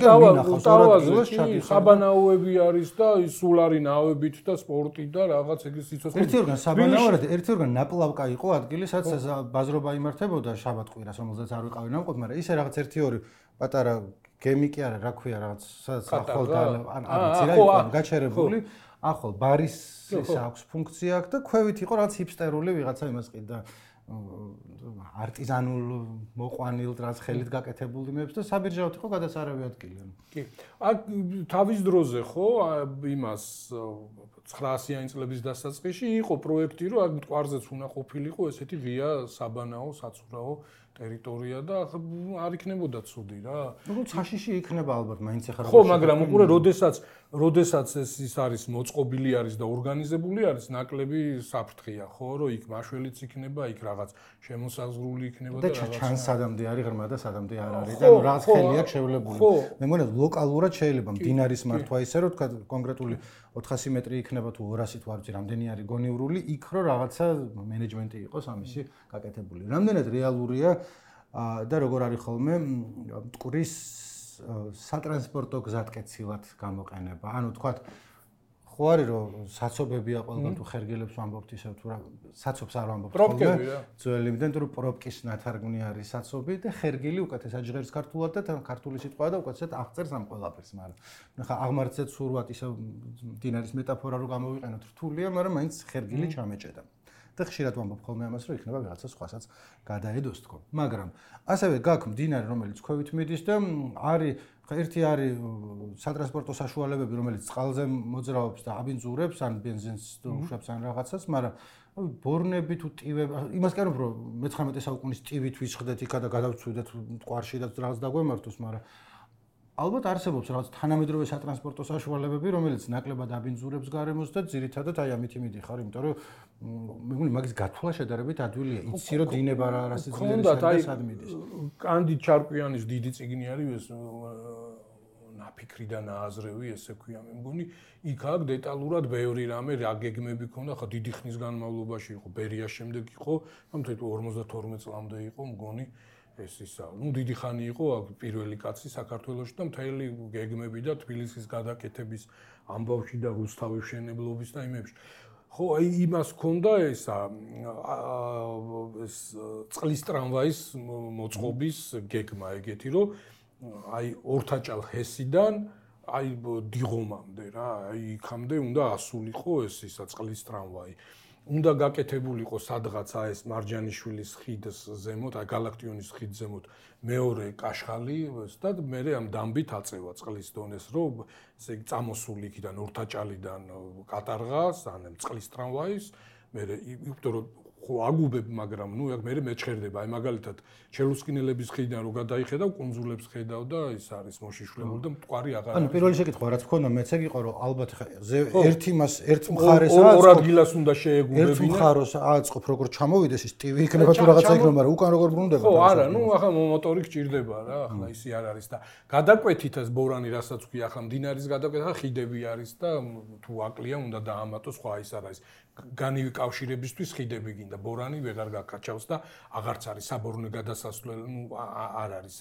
ტავაზე საბანაოები არის და სულ არის ნავებით და სპორტი და რაღაც ეგ სიცოცხლე. ერთი ორგან საბანაოა და ერთი ორგან ნაპლავკა იყო ადგილი, სადაც ბაზრობა იმართებოდა შაბათ-კვირას, რომელზეც არ ვიყავი ნამყოფ, მაგრამ ისე რაღაც ერთი ორი პატარა გემი კი არა, რა ქვია, რაღაც სადაც ახალ და ან არიცი რა იყო გაჩერებული. ახალ ბარის ის აქვს ფუნქცია აქვს და ქვევით იყო რაღაც ჰიპსტერული ვიღაცა იმას ყიდა არტიზანულ მოყვანილ რაც ხელით გაკეთებული იმებს და საბირჟავთ იყო გადასარავი ადგილი. კი. აქ თავის დროზე ხო იმას ცხრაასიანი წლების დასაწყისში იყო პროექტი, რომ აქ მტკვარზეც უნდა ყოფილიყო ესეთი ღია საბანაო, საცურაო ტერიტორია და არ იქნებოდა ცუდი რა. ну ცაშიში იქნება ალბათ, მაინც ახლა ხო, მაგრამ უყურე, როდესაც როდესაც ეს ის არის მოწყობილი არის და ორგანიზებული არის, ნაკლები საფრთხეა, ხო, რომ იქ მაშველიც იქნება, იქ რაღაც შემოსაზღვრული იქნება და რაღაც ჩანს სადამდე არის ღრმა და სადამდე არ არის და რაღაც ხელი აქვს შევლებული. მე მგონია ლოკალურად შეიძლება მდინარის მართვა ისე რომ თქვა კონკრეტული ოთხასი მეტრი იქნება თუ ორასი თუ არ ვიცი რამდენი არის გონივრული, იქ რო რაღაცა მენეჯმენტი იყოს ამისი გაკეთებული. რამდენად რეალურია და როგორ არის ხოლმე მტკვრის სატრანსპორტო გზატკეცილად გამოყენება. ანუ თქვათ ხო არის რომ საცობებია ყველგან თუ ხერგელებს ვამბობთ ისე თუ რა საცობს არ ვამბობთ ხოლმე. ძველი იმდენ თუ პროპკის ნათარგმნი არის საცობი და ხერგილი უკეთესად ჟღერს ქართულად და ქართული სიტყვა და უკეთესად აღწერს ამ ყველაფერს, მაგრამ ნახა აღმართზე ცურვად ისე მდინარის მეტაფორა რო გამოვიყენოთ რთულია, მაგრამ მაინც ხერგილი ჩამეჭედა. და ხშირად ვამბობ ხოლმე ამას, რომ იქნება ვიღაცა სხვასაც გადაედოს თქო. მაგრამ ასევე გაქვს მდინარე, რომელიც ქვევით მიდის და არის ერთი არის სატრანსპორტო საშუალებები, რომელიც წყალზე მოძრაობს და აბინძურებს, ან ბენზინს უშვებს ან რაღაცას, მაგრამ ბორნები თუ ტივები, იმას კი არ ვამბობ, რომ მეცხრამეტე საუკუნის ტივით ვისხდეთ იქა და გადავწვიდეთ მტკვარში და რაღაც დაგვემართოს, მაგრამ ალბათ არსებობს რაღაც თანამედროვე სატრანსპორტო საშუალებები, რომელიც ნაკლებად აბინძურებს გარემოს და ძირითადად აი ამით იმიდიხარ, იმიტომ რომ მე მგონი მაგის გათვლა შედარებით ადვილია. იცი რომ დინება რა რასიძლიერი სად მიდის. კანდი ჩარკვიანის დიდი წიგნი არის ეს ნაფიქრი და ნააზრევი, ესე ქვია, მე მგონი იქ აქ დეტალურად ბევრი რამე რა გეგმები ქონდა, ხა დიდი ხნის განმავლობაში იყო, ბერიას შემდეგ იყო, თუმცა ორმოცდათორმეტ წლამდე იყო, მგონი ეს ისა, ну დიდი ხანი იყო აქ პირველი კაცი საქართველოში და მთელი გეგმები და თბილისის გადაკეთების ამბავში და რუსთავის მშენებლობის და იმებში. ხო, აი იმას ქონდა ესა ეს წყლის ტრამვაის მოწყობის გეგმა ეგეთი, რომ აი ორთაჭალ ჰესიდან აი დიღომამდე რა, აი იქამდე უნდა ასულიყო ეს ისა წყლის ტრამვაი. უნდა გაკეთებულიყო სადღაცა ეს მარჯანიშვილის ხიდის ზემოთ, აი გალაქტიონის ხიდის ზემოთ მეორე კაშხალი და მე ამ დამბით აწევა წყლის დონეს, რომ ესე იგი წამოსული იქიდან ორთაჭალიდან კატარღას, ან წყლის ტრამვაის, მე იმიტომ რომ ხო აგუბებ, მაგრამ ნუ მე მეჩხერდება, აი მაგალითად ჩელუსკინელების ხიდიდან რო გადაიხედავ, კუნძულებს ხედავ და ის არის მოშიშვლებული და მტკვარი აღარ არის. ანუ პირველი შეკითხვა რაც გქონდა, მეც ეგ იყო, რომ ალბათ ერთი მას ერთ მხარეს აწყობ, ორ ადგილას უნდა შეეგუებინა. ერთ მხარეს აწყობ, როგორ ჩამოვიდეს ის ტივი იქნება თუ რაღაცა იქნება, მაგრამ უკან როგორ ბრუნდება. ხო, არა, ნუ ახლა მოტორი გჭირდება რა, ახლა ისი არ არის და გადაკვეთით ეს ბორანი, რასაც ვქია, ახლა მდინარის გადაკვეთა, ხიდები არის და თუ აკლია უნდა დაამატოს, სხვა ის არ არის. განივი კავშირებისთვის ხიდები გინდა, ბორანი ვეღარ გაკაჩავს და აღარც არის საბორნე გადასასვლელი, ნუ არ არის,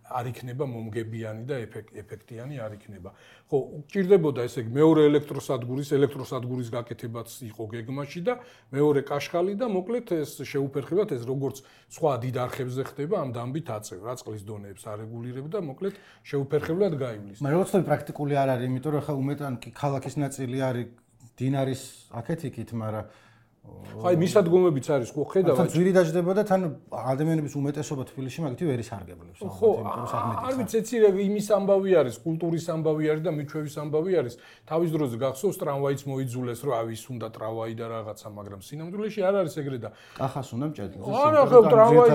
არ იქნება მომგებიანი და ეფექტიანი არ იქნება. ხო, გჭირდებოდა ესე იგი მეორე ელექტროსადგურის, ელექტროსადგურის გაკეთებაც იყო გეგმაში და მეორე კაშხალი და მოკლედ ეს შეუფერხებათ ეს როგორც სხვა დიდ არხებზე ხდება, ამ დამბით აწევ, რა წყლის დონეებს არეგულირებ და მოკლედ შეუფერხებლად გაივლის. მაგრამ როგორც თქო პრაქტიკული არ არის, იმიტომ რომ ხა უმეტან კი ქალაქის ნაწილი არის დინარის აქეთ იქით, მაგრამ ხაი მისადგომებიც არის, ხო ხედავ. თან ძვირი დაждდება და თან ადამიანების უმეტესობა თბილისში მაგითი ვერ ისარგებლებს. ხო, არ ვიცი, ეცი იმის ამბავი არის, კულტურის ამბავი არის და მიჩვევის ამბავი არის. თავის დროზე გახსოვს ტრამვაიც მოიძულეს, რომ ავის უნდა ტრამვაი და რაღაცა, მაგრამ სინამდვილეში არ არის ეგრე და კახას უნდა მჭედლოს. არა, ხო ტრამვაი,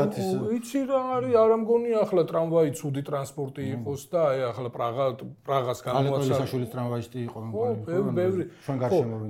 იცი რა არის, არ ამგონია ახლა ტრამვაი ცუდი ტრანსპორტი იყოს და აი ახლა პრაღა პრაღას გამოაცხადა. ალეკოლის საშუალის ტრამვაისტი იყო, მე მგონი. ხო, ბევრი.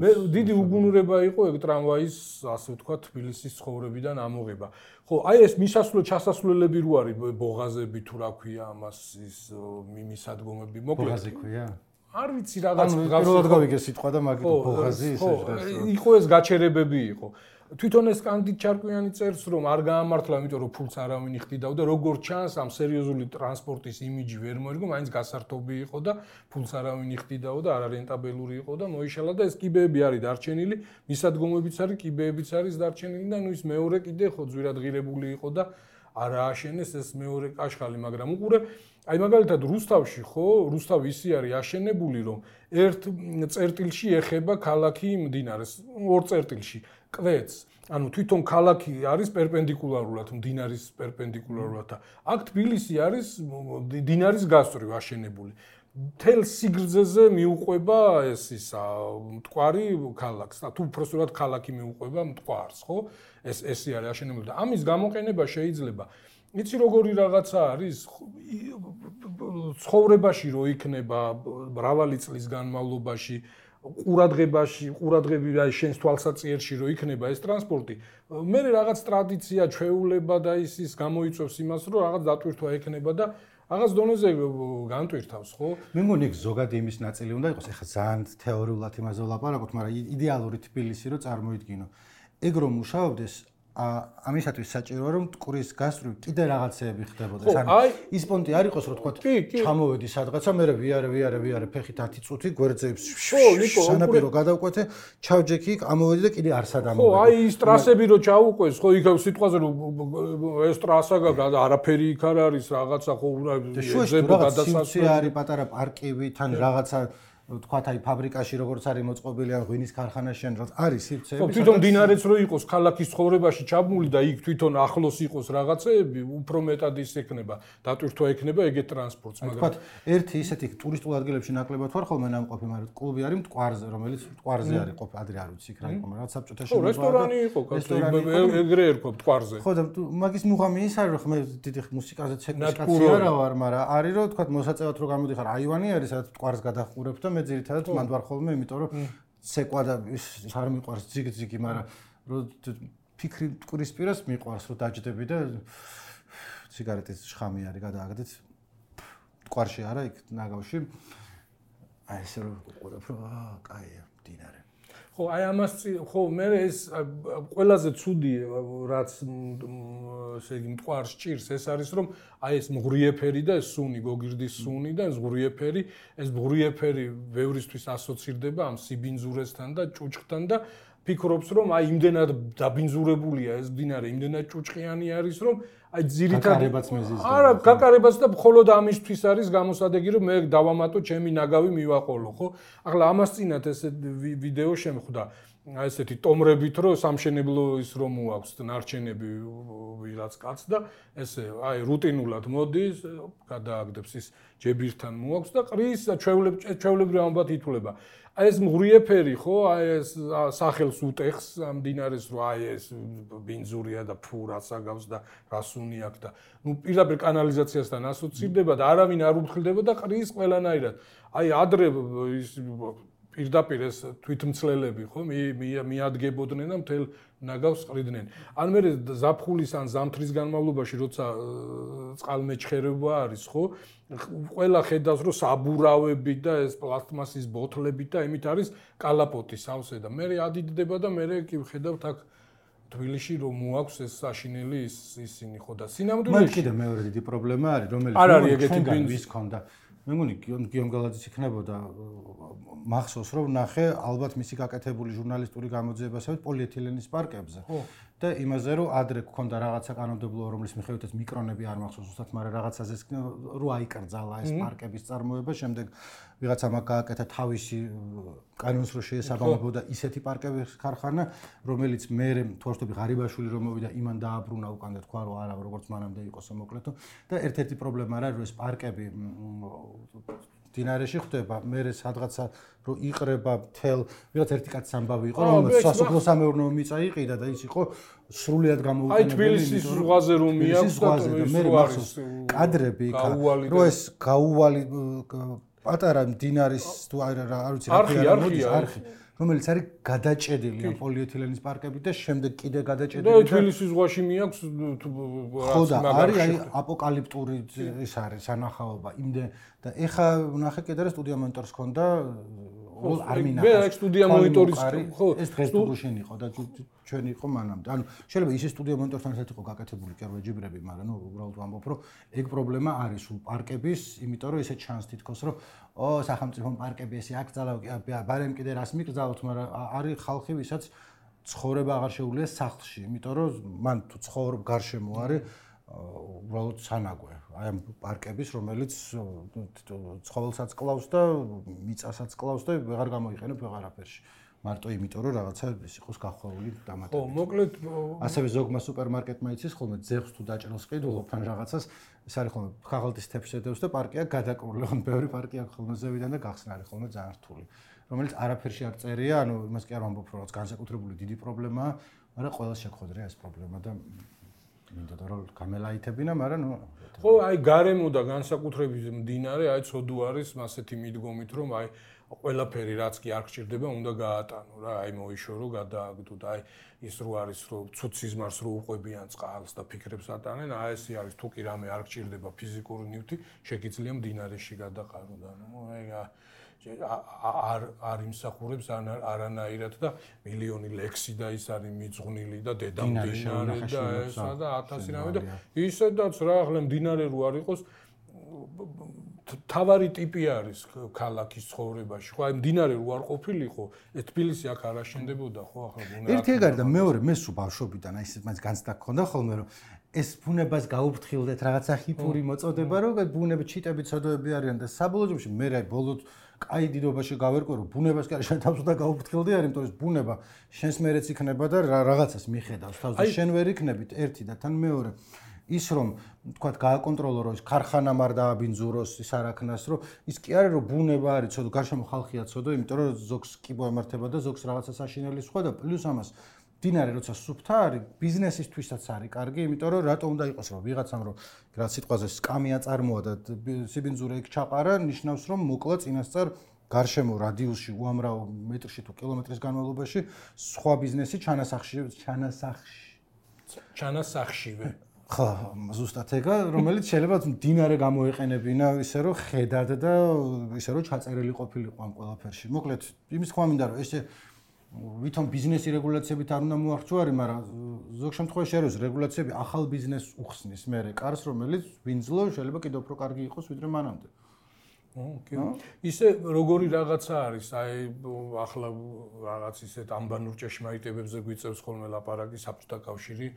მე დიდი უგუნურება იყო ეგ ტრამვაის არის ასე ვთქვათ თბილისის ცხოვრებიდან ამოღება. ხო, აი ეს მისასვლელ ჩასასვლელები რო არის ბოღაზები თუ რა ქვია ამას ის მისადგომები მოკლედ. ბოღაზი ქვია? არ ვიცი რაღაც პირველად გავიგე სიტყვა და მაგით ბოღაზი ისე ჟღერს. იყო ეს გაჩერებები იყო. თვითონ ეს კანდიდ ჩარკვიანი წერს რომ არ გაამართლა, იმიტომ რომ ფულს არავინ იხდიდაო და როგორ ჩანს ამ სერიოზული ტრანსპორტის იმიჯი ვერ მოერგო, მაინც გასართობი იყო და ფულს არავინ იხდიდაო და არარენტაბელური იყო და მოიშალა და ეს კიბეები არის დარჩენილი, მისადგომებიც არის, კიბეებიც არის დარჩენილი და ნუ ის მეორე კიდე ხო ძვირადღირებული იყო და არ ააშენეს ეს მეორე კაშხალი, მაგრამ უყურე აი მაგალითად რუსთავში ხო, რუსთავი ისე არის აშენებული რომ ერთ წერტილში ეხება ქალაქი მდინარეს, ორ წერტილში კვეთს. ანუ თვითონ ქალაქი არის პერპენდიკულარულად მდინარის პერპენდიკულარულად და აქ თბილისი არის მდინარის გასწვრივ აშენებული. მთელ სიგრძეზე მიუყვება ეს ისა მტკვარი ქალაქს და თუ უბრალოდ ქალაქი მიუყვება მტკვარს, ხო? ეს ესე არის აშენებული და ამის გამოყენება შეიძლება იცი როგორი რაღაცა არის ცხოვრებაში რო იქნება მრავალი წლის განმავლობაში ყურადღებაში, ყურადღები აი შენს თვალსაჩინში რო იქნება ეს ტრანსპორტი, მე რაღაც ტრადიცია, ჩვეულება და ის ის გამოიწვევს იმას, რომ რაღაც დატვირთვა ექნება და რაღაც დონეზე განტვირთავს, ხო? მე მგონი იქ ზოგადი იმის ნაწილი უნდა იყოს, ეხლა ძალიან თეორიულად იმაზე ვლაპარაკობთ, მაგრამ იდეალური თბილისი რო წარმოიდგინო. ეგ რომ მუშაობდეს ამისათვის საჭიროა რომ მტკვრის გასწვრივ კიდე რაღაცეები ხდებოდეს. ანუ ის პონტი არ იყოს რომ თქვა ჩამოვედი სადღაცა, მე ვიარე, ვიარე, ვიარე, ფეხით ათი წუთი გვერდზეებს სანაპირო გადავკვეთე, ჩავჯექი, ამოვედი და კიდე არსად ამოვედი. ხო, აი ის ტრასები რო ჩაუყვეს, ხო, იქ სიტყვაზე რომ ეს ტრასა არაფერი იქ არ არის, რაღაცა ხო ზებო გადასასვლელი არის, პატარა პარკივი, თან რაღაცა თქვათ აი ფაბრიკაში როგორც არის მოწყობილი ან ღვინის ქარხანაში ან რაღაც არის სივრცეები. ხო, თვითონ დინარეც რო იყოს ქალაქის ცხოვრებაში ჩაბმული და იქ თვითონ ახლოს იყოს რაღაცეები, უფრო მეტად ის ექნება, დატვირთვა ექნება ეგეთ ტრანსპორტს, მაგრამ თქვათ ერთი ისეთი ტურისტულ ადგილებში ნაკლებად ვარ ხოლმე ნამყოფი, მაგრამ კლუბი არის მტკვარზე, რომელიც მტკვარზე არის ყოფ ადრე არ ვიცი იქ რა იყო, მაგრამ საბჭოთა შენობა. ხო, რესტორანი იყო, ეგრე ერქვა მტკვარზე. ხო და მაგის მუღამი ის არის რომ მე დიდი მუსიკაზე ცეკვისკაცი არა ვარ, მაგრამ არის რომ თქვათ მოსაწევად რო გამოდიხარ, აივანი არის სადაც მტკვარს გადახურებ და მე ძირითადად მანდ ვარ ხოლმე, იმიტომ რომ ცეკვა და ის არ მიყვარს ძიგ-ძიგი, მაგრამ რომ ფიქრი მტკვრის პირას მიყვარს, რომ დაჯდები და სიგარეტის შხამი არის გადააგდეთ. მტკვარში არა, იქ ნაგავში. აი ესე რომ ყურებ, რომ აა, კაია, მდინარე. ხო, აი ამას ხო, მე ეს ყველაზე ცუდი რაც ესე იგი მტკვარს ჭირს, ეს არის რომ აი ეს მღრიეფერი და ეს სუნი, გოგირდის სუნი და ეს მღრიეფერი, ეს მღრიეფერი ბევრისთვის ასოცირდება ამ სიბინძურესთან და ჭუჭხთან და ფიქრობს რომ აი იმდენად დაბინძურებულია ეს მდინარე, იმდენად ჭუჭყიანი არის რომ აი ძირითადად გაკარებაც მეზიზდება. არა, გაკარებაც და მხოლოდ ამისთვის არის გამოსადეგი რომ მე დავამატო ჩემი ნაგავი მივაყოლო, ხო? ახლა ამას წინათ ესე ვიდეო შემხვდა. აი ესეთი ტომრებით რომ სამშენებლო ის რომ მოაქვს ნარჩენები ვიღაც კაც და ესე აი რუტინულად მოდის, გადააგდებს ის ჯებირთან მოაქვს და ყრის ჩვეულებრივ ამბად ითვლება. აი ეს მღრიეფერი ხო, აი ეს სახელს უტეხს ამ დინარეს რომ აი ეს ბინძურია და ფუ რაც აგავს და რასუნი აქვს და ნუ პირდაპირ კანალიზაციასთან ასოცირდება და არავინ არ უფრთხილდება და ყრის ყველანაირად. აი ადრე ის პირდაპირ ეს თვითმცლელები ხო მიადგებოდნენ და მთელ ნაგავს ყრიდნენ. ან მე ზაფხულის ან ზამთრის განმავლობაში როცა წყალმეჩხერება არის ხო, ყველა ხედავს რომ საბურავები და ეს პლასტმასის ბოთლები და იმით არის კალაპოტი სავსე და მე ადიდდება და მე კი ვხედავთ აქ თბილისში რომ მოაქვს ეს საშინელი ისინი ხო და სინამდვილეში მაგ კიდე მეორე დიდი პრობლემა არის რომელიც არ არის ეგეთი ბინძის ქონდა. მე მგონი გიომ გალაძის იქნებოდა მახსოვს რომ ნახე ალბათ მისი გაკეთებული ჟურნალისტური გამოძიებასავით პოლიეთილენის პარკებზე და იმაზე რომ ადრე გქონდა რაღაცა კანონმდებლობა რომლის მიხედვითაც მიკრონები არ მახსოვს უბრალოდ მაგრამ რაღაცაზე რო აიკრძალა ეს პარკების წარმოება შემდეგ ვიღაცა მაგ გააკეთა თავისი კანონს რო შეესაბამებოდა ისეთი პარკების ქარხანა რომელიც მე თორშტები ღარიბაშვილი რომ მოვიდა იმან დააბრუნა უკან და თქვა რომ არა როგორც მანამდე იყოსო მოკლედო და ერთ-ერთი პრობლემა რა რომ ეს პარკები დინარეში ხდება, მე სადღაცა რომ იყრება მთელ, ვიღაც ერთი კაცი ამბავი იყო, რომელიც სასოფლო სამეურნეო მიწა იყიდა და ის იყო სრულიად გამოუყენებელი. აი თბილისის ზღვაზე რომ მიაქვს და მე მახსოვს კადრები იქ, რომ ეს გაუვალი პატარა დინარის თუ არ ვიცი რა ქვია, მოდის არხი. რომელიც არის გადაჭედილი ამ პოლიეთილენის პარკებით და შემდეგ კიდე გადაჭედილი და თბილისის ზღვაში მიაქვს ხო და არის აი აპოკალიფტური ის არის სანახაობა იმდენ და ეხა ნახე კიდე რა სტუდია მონიტორს ქონდა არ მინახავს მე აი სტუდია მონიტორის ხო ეს დღეს გუშინ იყო და ჩვენ იყო მანამდე ანუ შეიძლება ისე სტუდია მონიტორთან ერთად იყო გაკეთებული კერვეჯიბრები მაგრამ ნუ უბრალოდ ვამბობ რომ ეგ პრობლემა არის სულ პარკების იმიტომ რომ ესე ჩანს თითქოს რომ ო სახელმწიფო პარკები ესე აქ ძალავ ბარემ კიდე რას მიკრძალოთ მაგრამ არის ხალხი ვისაც ცხოვრება აღარ შეუძლია სახლში იმიტომ რომ მან თუ ცხოვრობ გარშემო არის უბრალოდ სანაგვე აი ამ პარკების რომელიც ცხოველსაც კლავს და მიწასაც კლავს და ვეღარ გამოიყენებ ვეღარაფერში მარტო იმიტომ რომ რაღაცა ის იყოს გახვეული დამატებით ხო მოკლედ ასევე ზოგმა სუპერმარკეტმა იცის ხოლმე ძეხს თუ დაჭრილს ყიდულობ ან რაღაცას ეს არის ხოლმე ქაღალდის თეფს ედევს და პარკია გადაკრული ხო ბევრი პარკია ხოლმე ზევიდან და გახსნა არის ხოლმე ძალიან რთული რომელიც არაფერში არ წერია ანუ იმას კი არ ვამბობ რომ რაც განსაკუთრებული დიდი პრობლემაა მაგრამ ყველას შეგხვედრია ეს პრობლემა და მინდა რომ გამელაითებინა, მაგრამ ნუ ხო, აი გარემო და განსაკუთრებით მდინარე, აი ცოდუ არის ასეთი მიდგომით, რომ აი ყველაფერი რაც კი არ გჭირდება, უნდა გაატანო რა, აი მოიშორო, გადააგდო და აი ის რო არის, რომ ცუდ სიზმარს რო უყვებიან წყალს და ფიქრებს ატანენ, აი ესე არის, თუ კი რამე არ გჭირდება ფიზიკური ნივთი, შეგიძლია მდინარეში გადაყარო და ნუ აი არ არ იმსახურებს არანაირად და მილიონი ლექსი და ის არის მიძღვნილი და დედამდინარე და ესა და ათასი რამე და ისედაც რა ახლა მდინარე რო არ იყოს თავარი ტიპი არის ქალაქის ცხოვრებაში ხო აი მდინარე რო არ ყოფილიყო ეს თბილისი აქ არ აშენდებოდა ხო ახლა ბუნება ერთი ეგ არის და მეორე მე სულ ბავშვობიდან აი ეს მაინც განცდა გქონდა ხოლმე რომ ეს ბუნებას გაუფრთხილდეთ რაღაცა ხიფური მოწოდება რომ ბუნები ჩიტები ცოდოები არიან და საბოლოო ჯამში მე რა ბოლოდ კაი დიდობაში გავერკვე რომ ბუნებას კი არ შენ თავს უნდა გაუფრთხილდი არის იმიტომ რომ ბუნება შენს მერეც იქნება და რაღაცას მიხედავს თავს და შენ ვერ იქნებით ერთი და თან მეორე ის რომ თქვა გააკონტროლო რომ ის ქარხანამ არ დააბინძუროს ის არაქნას რომ ის კი არის რომ ბუნება არის ცოდო გარშემო ხალხია ცოდო იმიტომ რომ ზოგს კი მოემართება და ზოგს რაღაცას აშინელი სხვა და პლუს ამას დინარე როცა სუფთა არის ბიზნესისთვისაც არის კარგი იმიტომ რომ რატო უნდა იყოს რომ ვიღაცამ რომ რა სიტყვაზე სკამი აწარმოა და სიბინძურე იქ ჩაყარა ნიშნავს რომ მოკლა წინასწარ გარშემო რადიუსში უამრავ მეტრში თუ კილომეტრის განმავლობაში სხვა ბიზნესი ჩანასახში ჩანასახში ჩანასახშივე ხო ზუსტად ეგა რომელიც შეიძლება დინარე გამოეყენებინა ისე რომ ხედად და ისე რომ ჩაწერილი ყოფილიყო ამ ყველაფერში მოკლედ იმის თქვა მინდა რომ ესე ვითომ ბიზნესი რეგულაციებით არ უნდა მოახჭვარი, მაგრამ ზოგ შემთხვევაში არის რეგულაციები ახალ ბიზნესს უხსნის მერე კარს, რომელიც ვინძლო შეიძლება კიდევ უფრო კარგი იყოს ვიდრე მანამდე. ოკეი. ისე როგორი რაღაცა არის, აი ახლა რაღაც ისეთ ამბანურ ჭეშმარიტებებზე გვიწევს ხოლმე ლაპარაკი საბჭოთა კავშირი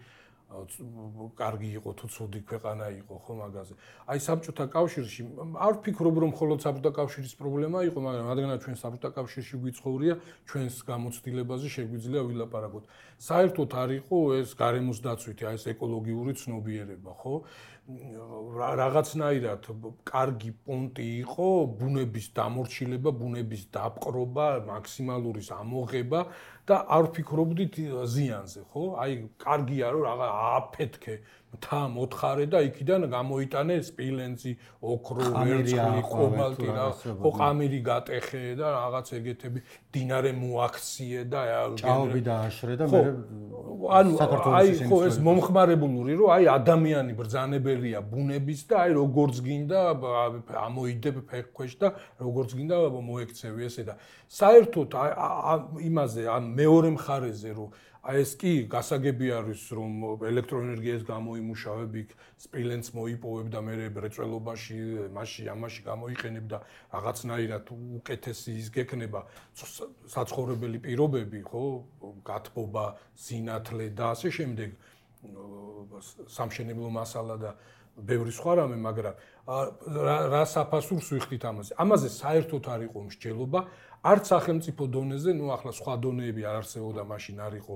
კარგი იყო თუ ცუდი ქვეყანა იყო ხო მაგაზე. აი საბჭოთა კავშირში არ ვფიქრობ რომ მხოლოდ საბჭოთა კავშირის პრობლემა იყო, მაგრამ რადგანაც ჩვენ საბჭოთა კავშირში გვიცხოვრია, ჩვენს გამოცდილებაზე შეგვიძლია ვილაპარაკოთ. საერთოდ არ იყო ეს გარემოს დაცვითი, აი ეს ეკოლოგიური ცნობიერება, ხო? რაღაცნაირად კარგი პონტი იყო ბუნების დამორჩილება, ბუნების დაპყრობა, მაქსიმალური ამოღება და არ ვფიქრობდით ზიანზე, ხო? აი კარგია რომ რაღა ააფეთქე მთა მოთხარე და იქიდან გამოიტანე სპილენძი, ოქრო, ვერცხლი, კობალტი რა, ხო ყამირი გატეხე და რაღაც ეგეთები, დინარე მოაქციე და ჭაობი დააშრე და მე ანუ აი ხო ეს მომხმარებლური რომ აი ადამიანი ბრძანებელია ბუნების და აი როგორც გინდა ამოიდებ ფეხქვეშ და როგორც გინდა მოექცევი ესე და საერთოდ იმაზე ამ მეორე მხარეზე რომ აი ეს კი გასაგები არის რომ ელექტროენერგიას გამოიმუშავებ იქ სპილენძს მოიპოვებ და მე რეწველობაში მასში ამაში გამოიყენებ და რაღაცნაირად უკეთესი ის გექნება საცხოვრებელი პირობები ხო გათბობა სინათლე და ასე შემდეგ სამშენებლო მასალა და ბევრი სხვა რამე მაგრამ რა საფასურს ვიხდით ამაზე ამაზე საერთოდ არ იყო მსჯელობა არც სახელმწიფო დონეზე, ნუ ახლა სხვა დონეები არ არსებობდა, მაშინ არ იყო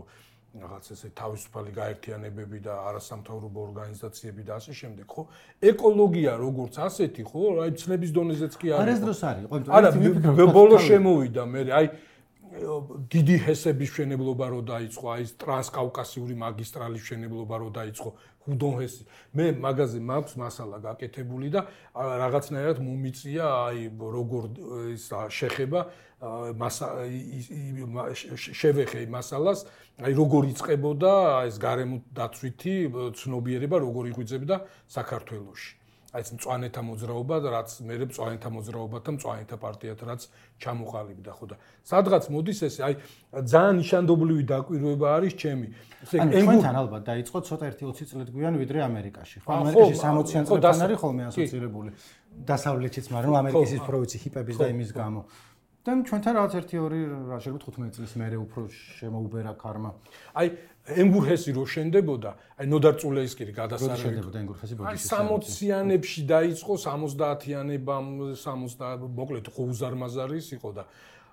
რაღაც ესე თავისუფალი გაერთიანებები და არასამთავრობო ორგანიზაციები და ასე შემდეგ, ხო? ეკოლოგია როგორც ასეთი, ხო? აი ცნების დონეზეც კი არ არის დროს არის, ხო? არა, ბოლო შემოვიდა მე, აი დიდი ჰესების მშენებლობა რო დაიწყო, აი ეს ტრანსკავკასიური მაგისტრალის მშენებლობა რო დაიწყო, ხუდონ-ჰესი. მე მაგაზე მაქვს მასალა გაკეთებული და რაღაცნაირად მომიწია აი როგორ ის შეხება შევეხე მასალას, აი როგორ იწყებოდა ეს გარემო დაცვითი ცნობიერება, როგორ იღვიძებდა საქართველოში. აი ეს მწვანეთა მოძრაობა, რაც მე მწვანეთა მოძრაობათა მწვანეთა პარტიათ რაც ჩამოყალიბდა, ხო და სადღაც მოდის ეს, აი ძალიან ნიშანდობლივი დაკვირვება არის ჩემი. ანუ ჩვენთან ალბათ დაიწყო ცოტა ერთი ოცი წლით გვიან ვიდრე ამერიკაში. ხო, ამერიკაში სამოციან წლებთან არის ხოლმე ასოცირებული. დასავლეთიც, მაგრამ ამერიკის ის პროვინცი ჰიპების და იმის გამო. და ჩვენთან რაღაც ერთი ორი რა შეიძლება თხუთმეტი წლის მერე უფრო შემოუბერა ქარმა. აი ენგურჰესი რო შენდებოდა, აი ნოდარ წულეისკირი გადასარევი. შენდებოდა ენგურჰესი ბოდიში. აი სამოციანებში დაიწყო, სამოცდაათიანებამ, სამოცდა მოკლედ ხუზარმაზარის იყო და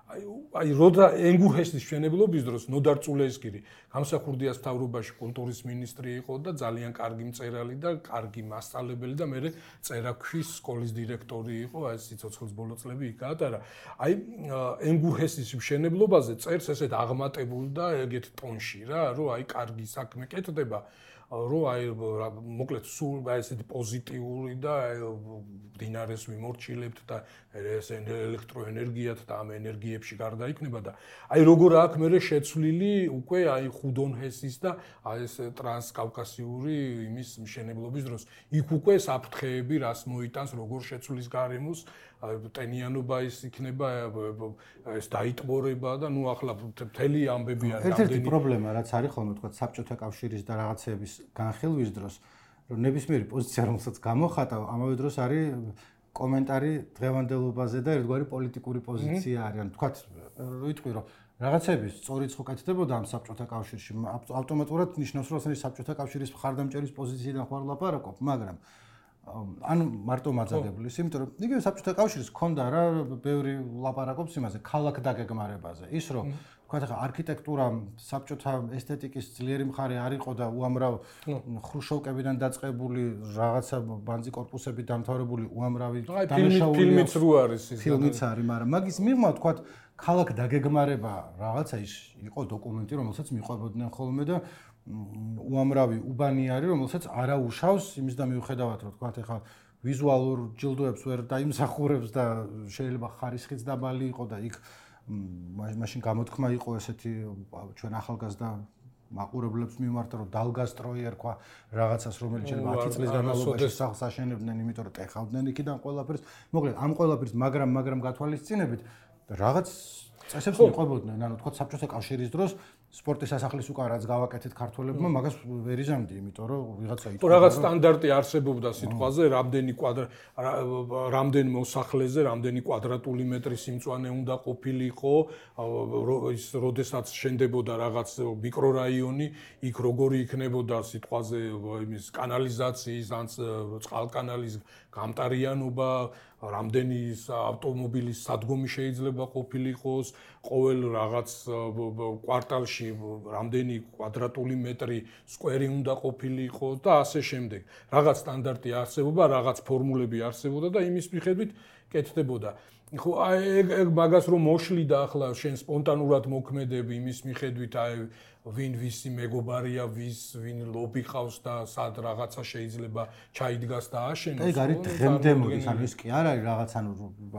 აი აი როდა ენგურჰესის მშენებლობის დროს ნოდარ წულეისკირი გამსახურდიას მთავრობაში კულტურის მინისტრი იყო და ძალიან კარგი მწერალი და კარგი მასწავლებელი და მე წერაქვის სკოლის დირექტორი იყო, აი სიცოცხლის ბოლო წლები იქ გაატარა. აი ენგურჰესის მშენებლობაზე წერს ესეთ აღმატებულ და ეგეთ ტონში რა, რომ აი კარგი საქმე კეთდება. რომ აი მოკლედ სულ აი ესეთი პოზიტიური და დინარეს ვიმორჩილებთ და ეს ელექტროენერგიათ და ამ ენერგიებში გარდაიქმნება და აი როგორ აქვს მე შეცვლილი უკვე აი ხუდონ-ჰესის და აი ეს ტრანსკავკასიური იმის მშენებლობის დროს იქ უკვე საფრთხეები რას მოიტანს როგორ შეცვლის გარემოს ტენიანობა ის იქნება ეს დაიტბორება და ნუ ახლა მთელი ამბები არის რამდენი ერთ-ერთი პრობლემა რაც არის ხოლმე თქვა საბჭოთა კავშირის და რაღაცეების განხილვის დროს რომ ნებისმიერი პოზიცია რომელსაც გამოხატავ ამავე დროს არის კომენტარი დღევანდელობაზე და ერთგვარი პოლიტიკური პოზიცია არის ან თქვა ვიტყვი რომ რაღაცების სწორი ცხო კეთდებოდა ამ საბჭოთა კავშირში ავტომატურად ნიშნავს რომ ეს საბჭოთა კავშირის მხარდამჭერის პოზიციიდან ხარ ლაპარაკობ მაგრამ ანუ მარტო მაძაგებლის, იმიტომ რომ იგივე საბჭოთა კავშირის ჰქონდა რა ბევრი ლაპარაკობს იმაზე, ქალაქ დაგეგმარებაზე. ის რომ თქვა ხა არქიტექტურა საბჭოთა ესთეტიკის ძლიერი მხარე არ იყო და უამრავ ხრუშოვკებიდან დაწყებული რაღაცა ბანძი კორპუსები დამთავრებული უამრავი დამშაული ფილმიც რო არის ის. ფილმიც არის, მაგრამ მაგის მიღმა თქვა ქალაქ დაგეგმარება რაღაცა ის იყო დოკუმენტი, რომელსაც მიყვებოდნენ ხოლმე და უამრავი უბანი არის, რომელსაც არა უშავს იმის და მიუხედავად რომ თქვა ეხლა ვიზუალურ ჯილდოებს ვერ დაიმსახურებს და შეიძლება ხარისხიც დაბალი იყო და იქ მაშინ გამოთქმა იყო ესეთი ჩვენ ახალგაზრდა მაყურებლებს მიმართ რომ დალგასტროი ერქვა რაღაცას რომელიც შეიძლება ათი წლის განმავლობაში სახლს აშენებდნენ, იმიტომ რომ ტეხავდნენ იქიდან ყველაფერს. მოკლედ ამ ყველაფერს მაგრამ მაგრამ გათვალისწინებით რაღაც წესებს მიყვებოდნენ, ანუ თქვა საბჭოთა კავშირის დროს სპორტის სასახლის უკან რაც გავაკეთეთ ქართველებმა, მაგას ვერ იზამდი, იმიტომ რომ ვიღაცა იტყვა. რაღაც სტანდარტი არსებობდა სიტყვაზე, რამდენი კვადრ რამდენ მოსახლეზე, რამდენი კვადრატული მეტრი სიმწვანე უნდა ყოფილიყო, ის როდესაც შენდებოდა რაღაც მიკრორაიონი, იქ როგორი იქნებოდა სიტყვაზე იმის კანალიზაციის, ან წყალკანალის გამტარიანობა, რამდენი ავტომობილის სადგომი შეიძლება ყოფილიყოს, ყოველ რაღაც კვარტალში რამდენი კვადრატული მეტრი სკვერი უნდა ყოფილიყო და ასე შემდეგ. რაღაც სტანდარტი არსებობდა, რაღაც ფორმულები არსებობდა და იმის მიხედვით კეთდებოდა. ხო, აი ეგ მაგას რომ მოშლიდა ახლა შენ სპონტანურად მოქმედები იმის მიხედვით, აი ვინ ვისი მეგობარია, ვის ვინ ლობი ყავს და სად რაღაცა შეიძლება ჩაიდგას და აშენოს. ეგ არის დღემდე მოდის, ანუ ის კი არ არის რაღაც, ანუ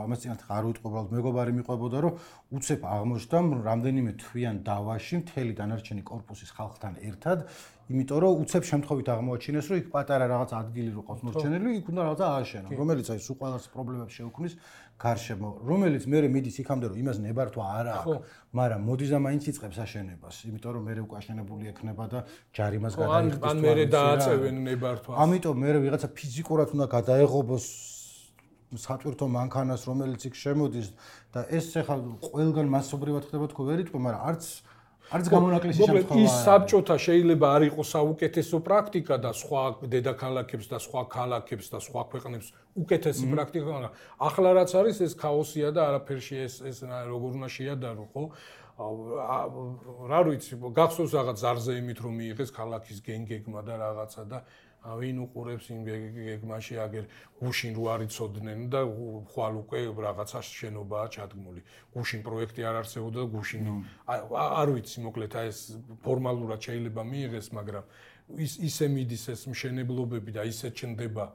ამას წინათ არ ვიტყვი, უბრალოდ მეგობარი მიყვებოდა, რომ უცებ აღმოჩნდა რამდენიმე თვიან დავაში მთელი დანარჩენი კორპუსის ხალხთან ერთად, იმიტომ რომ უცებ შემთხვევით აღმოაჩინეს, რომ იქ პატარა რაღაც ადგილი რო ყავს მორჩენილი, იქ უნდა რაღაცა ააშენო, რომელიც აი სულ ყველას პრობლემებს შეუქმნის გარშემო, რომელიც მე მიდის იქამდე რომ იმას ნებართვა არ აქვს, მაგრამ მოდის და მაინც იწყებს აშენებას, იმიტომ რომ მე უკვე აშენებული ექნება და ჯარიმას გადაიხდის. ან მე დააწევენ ნებართვას. ამიტომ მე ვიღაცა ფიზიკურად უნდა გადაეღობოს სატვირთო მანქანას, რომელიც იქ შემოდის და ეს ახლა ყველგან მასობრივად ხდება თქო ვერ იტყვი, მაგრამ არც არც გამონაკლისი შემთხვევა ის საბჭოთა შეიძლება არ იყოს საუკეთესო პრაქტიკა და სხვა დედაქალაქებს და სხვა ქალაქებს და სხვა ქვეყნებს უკეთესი პრაქტიკა, მაგრამ ახლა რაც არის ეს ქაოსია და არაფერში ეს ეს როგორ უნდა შეადარო, ხო? რა ვიცი, გახსოვს რაღაც ზარზე იმით რომ მიიღეს ქალაქის გენგეგმა და რაღაცა და ვინ უყურებს იმ გეგმაში აგერ გუშინ რო არიწოდნენ და ხვალ უკვე რაღაცა შენობაა ჩადგმული. გუშინ პროექტი არ არსებობდა და გუშინ არ ვიცი მოკლედ აი ეს ფორმალურად შეიძლება მიიღეს, მაგრამ ის ისე მიდის ეს მშენებლობები და ისე ჩნდება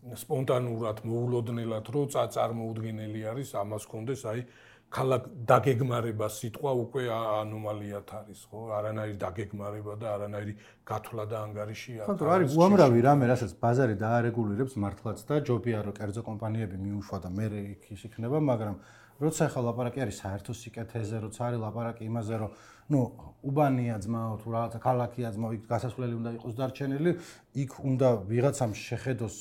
სპონტანურად, მოულოდნელად, რომ წარმოუდგენელი არის, ამას კონდეს აი ქალაქ დაგეგმარება სიტყვა უკვე ანომალიათ არის, ხო? არანაირი დაგეგმარება და არანაირი გათვლა და ანგარიში არ არის. ხო, არის უამრავი რამე, რასაც ბაზარი დაარეგულირებს მართლაც და ჯობია რომ კერძო კომპანიები მიუშვა და მე იქ ის იქნება, მაგრამ როცა ახლა ლაპარაკი არის საერთო სიკეთეზე, როცა არის ლაპარაკი იმაზე, რომ ნუ უბანია ძმაო თუ რაღაცა ქალაქია ძმაო, იქ გასასვლელი უნდა იყოს დარჩენილი, იქ უნდა ვიღაცამ შეხედოს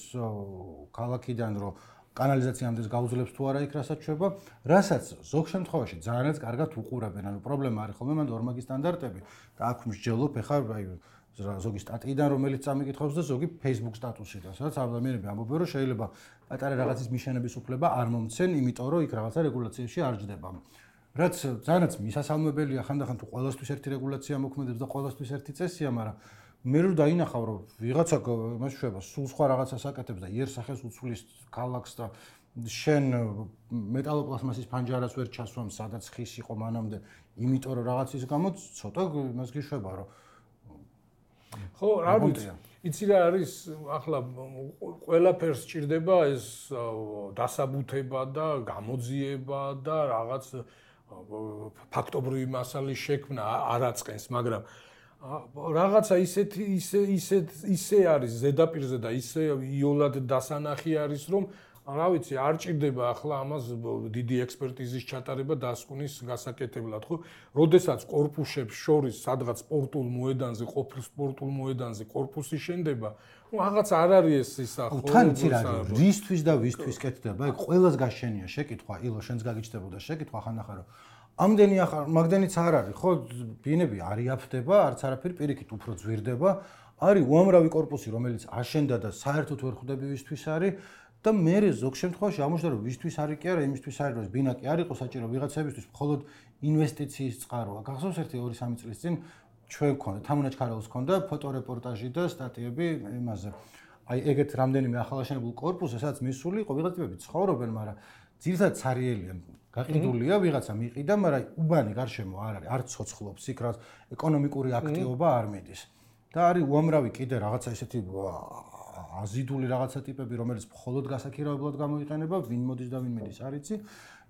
ქალაქიდან რომ კანალიზაციამდე გაუძლებს თუ არა იქ რასაც შვება, რასაც ზოგ შემთხვევაში ძალიანაც კარგად უყურებენ, ანუ პრობლემა არის ხოლმე მანდ ორმაგი სტანდარტები და აქ მსჯელობ ეხლა აი ზოგი სტატიიდან რომელიც წამიკითხავს და ზოგი Facebook სტატუსიდან, სადაც ადამიანები ამბობენ რომ შეიძლება პატარა რაღაცის მიშენების უფლება არ მომცენ, იმიტომ რომ იქ რაღაცა რეგულაციაში არ ჯდება. რაც ძალიანაც მისასალმებელია ხანდახან თუ ყველასთვის ერთი რეგულაცია მოქმედებს და ყველასთვის ერთი წესია, მაგრამ მე რო დაინახავ რომ ვიღაცა იმას შვება, სულ სხვა რაღაცას აკეთებს და იერსახეს უცვლის ქალაქს და შენ მეტალოპლასმასის ფანჯარას ვერ ჩასვამ, სადაც ხის იყო მანამდე, იმიტომ რომ რაღაცის გამო ცოტა იმას გიშვება რომ ხო, რა ვიცი, იცი რა არის, ახლა ყველაფერს სჭირდება ეს დასაბუთება და გამოძიება და რაღაც ფაქტობრივი მასალის შექმნა არ აწყენს, მაგრამ რაღაცა ისეთი ისე ისე ისე არის ზედაპირზე და ისე იოლად დასანახი არის, რომ რა ვიცი, არ ჭირდება ახლა ამას დიდი ექსპერტიზის ჩატარება დასკვნის გასაკეთებლად, ხო? როდესაც კორპუსებს შორის სადღაც სპორტულ მოედანზე, ყოფილ სპორტულ მოედანზე კორპუსი შენდება, ну რაღაც არ არის ეს ისა, ხო? თან იცი რა არის, რისთვის და ვისთვის კეთდება? ეგ ყველას გაშენია შეკითხვა, ილო შენს გაგიჩნდებოდა შეკითხვა ხანდახან რომ ამდენი ახლა მაგდენიც არ არის, ხო? ბინები არ იაფდება, არც არაფერი პირიქით უფრო ძვირდება. არის უამრავი კორპუსი, რომელიც აშენდა და საერთოდ ვერ ხვდები ვისთვის არის და მე ზოგ შემთხვევაში ამოშდა რომ ვისთვის არის კი არა, იმისთვის არის რომ ბინა კი არ იყოს საჭირო ვიღაცებისთვის, მხოლოდ ინვესტიციის წყაროა. გახსოვს ერთი ორი სამი წლის წინ ჩვენ გქონდა, თამუნაჩ ქარაუს გქონდა ფოტორეპორტაჟი და სტატიები იმაზე. აი ეგეთ რამდენიმე ახალაშენებულ კორპუსზე, სადაც მისული იყო ვიღაც ტიპები ცხოვრობენ, მაგრამ ძირითადად ცარიელიან. გაყიდულია ვიღაცა მიყიდა, მაგრამ უბანი გარშემო არ არის, არ ცოცხლობს იქ, რაც ეკონომიკური აქტივობა არ მიდის. და არის უამრავი კიდე რაღაცა ისეთი აზიდული რაღაცა ტიპები, რომელიც მხოლოდ გასაქირავებლად გამოიყენება, ვინ მოდის და ვინ მედის არ იცი.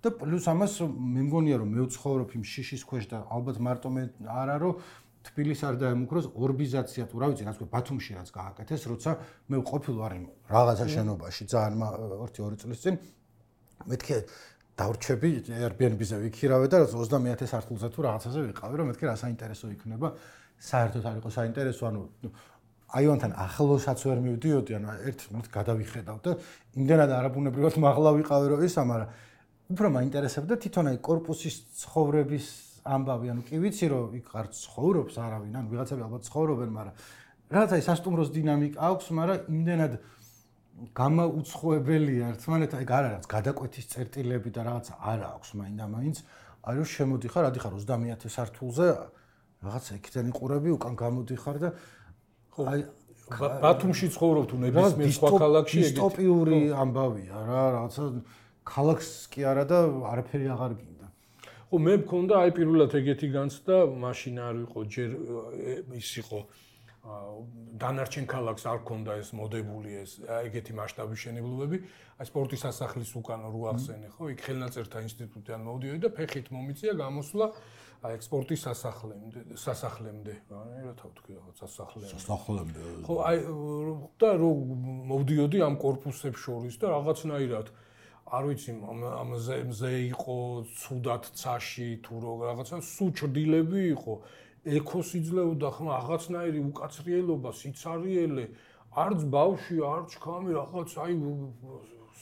და პლუს ამას მე მგონია რომ მე ვცხოვრობ იმ შიშის ქვეშ და ალბათ მარტო მე არა რომ თბილისს არ დაემუქროს ორბიზაცია თუ რა ვიცი, რაც ბათუმში რაც გააკეთეს, როცა მე ვყოფილ ვარ იმ რაღაცა შენობაში ძალიან ერთი ორი წლის წინ მეთქე დავრჩები Airbnb-ზე ვიქირავე და ოცდამეათე სართულზე თუ რაღაცაზე ვიყავი, რომ მეთქე რა საინტერესო იქნება. საერთოდ არ იყო საინტერესო, ანუ აივანთან ახლოსაც ვერ მივდიოდი, ანუ ერთ მით გადავიხედავ და იმდენად არაბუნებრივად მაღლა ვიყავი რომ ისა, მაგრამ უფრო მაინტერესებდა თვითონ აი კორპუსის ცხოვრების ამბავი, ანუ კი ვიცი რომ იქ არ ცხოვრობს არავინ, ანუ ვიღაცები ალბათ ცხოვრობენ, მაგრამ რაღაცა ის სასტუმროს დინამიკა აქვს, მაგრამ იმდენად გამაუცხოებელია ერთმანეთთან, ეგ არ არის გადაკვეთის წერტილები და რაღაცა არ აქვს მაინდა-მაინც, აი რომ შემოდიხარ, ადიხარ ოცდამეათე სართულზე, რაღაცა იქიდან იყურები, უკან გამოდიხარ და აი ბათუმში ცხოვრობ თუ ნებისმიერ სხვა ქალაქში ეგეთი დისტოპიური ამბავია რა, რაღაცა ქალაქს კი არა და არაფერი აღარ გინდა. ხო, მე მქონდა აი პირველად ეგეთი განცდა, მაშინ არ იყო ჯერ ის იყო დანარჩენ ქალაქს არ ქონდა ეს მოდებული ეს ეგეთი მასშტაბის შენებლობები, აი სპორტის სასახლის უკან რო ახსენე, ხო, იქ ხელნაწერთა ინსტიტუტიდან მოვდიოდი და ფეხით მომიწია გამოსვლა აი სპორტის სასახლემდე, სასახლემდე, რა თავ თქვი რაღაც სასახლემდე. სასახლემდე. ხო, აი და რო მოვდიოდი ამ კორპუსებს შორის და რაღაცნაირად არ ვიცი, ამაზე მზე იყო ცუდად ცაში თუ რაღაცა სუ ჭრდილები იყო. ეკოს იძლეოდა ხმა რაღაცნაირი უკაცრიელობა, სიცარიელე, არც ბავში, არც ჩქამი რაღაც აი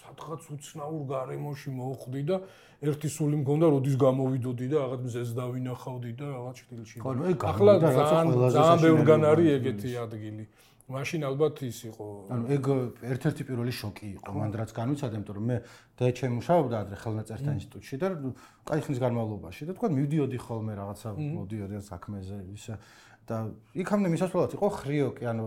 სადღაც უცნაურ გარემოში მოხვდი და ერთი სული მქონდა, როდის გამოვიდოდი და რაღაც მზეს დავინახავდი და რაღაც ჭრილში. ახლა ძალიან ძალიან ბევრგან არის ეგეთი ადგილი. მაშინ ალბათ ის იყო. ანუ ეგ ერთ-ერთი პირველი შოკი იყო, მანდ რაც განვიცადა, იმიტომ რომ მე დეჩემ მუშაობდა ადრე ხელნაწერთა ინსტიტუტში და კაი ხნის განმავლობაში და თქვა მივდიოდი ხოლმე რაღაცა მოდიოდი საქმეზე ისე და იქამდე მისასვლელად იყო ხრიოკი, ანუ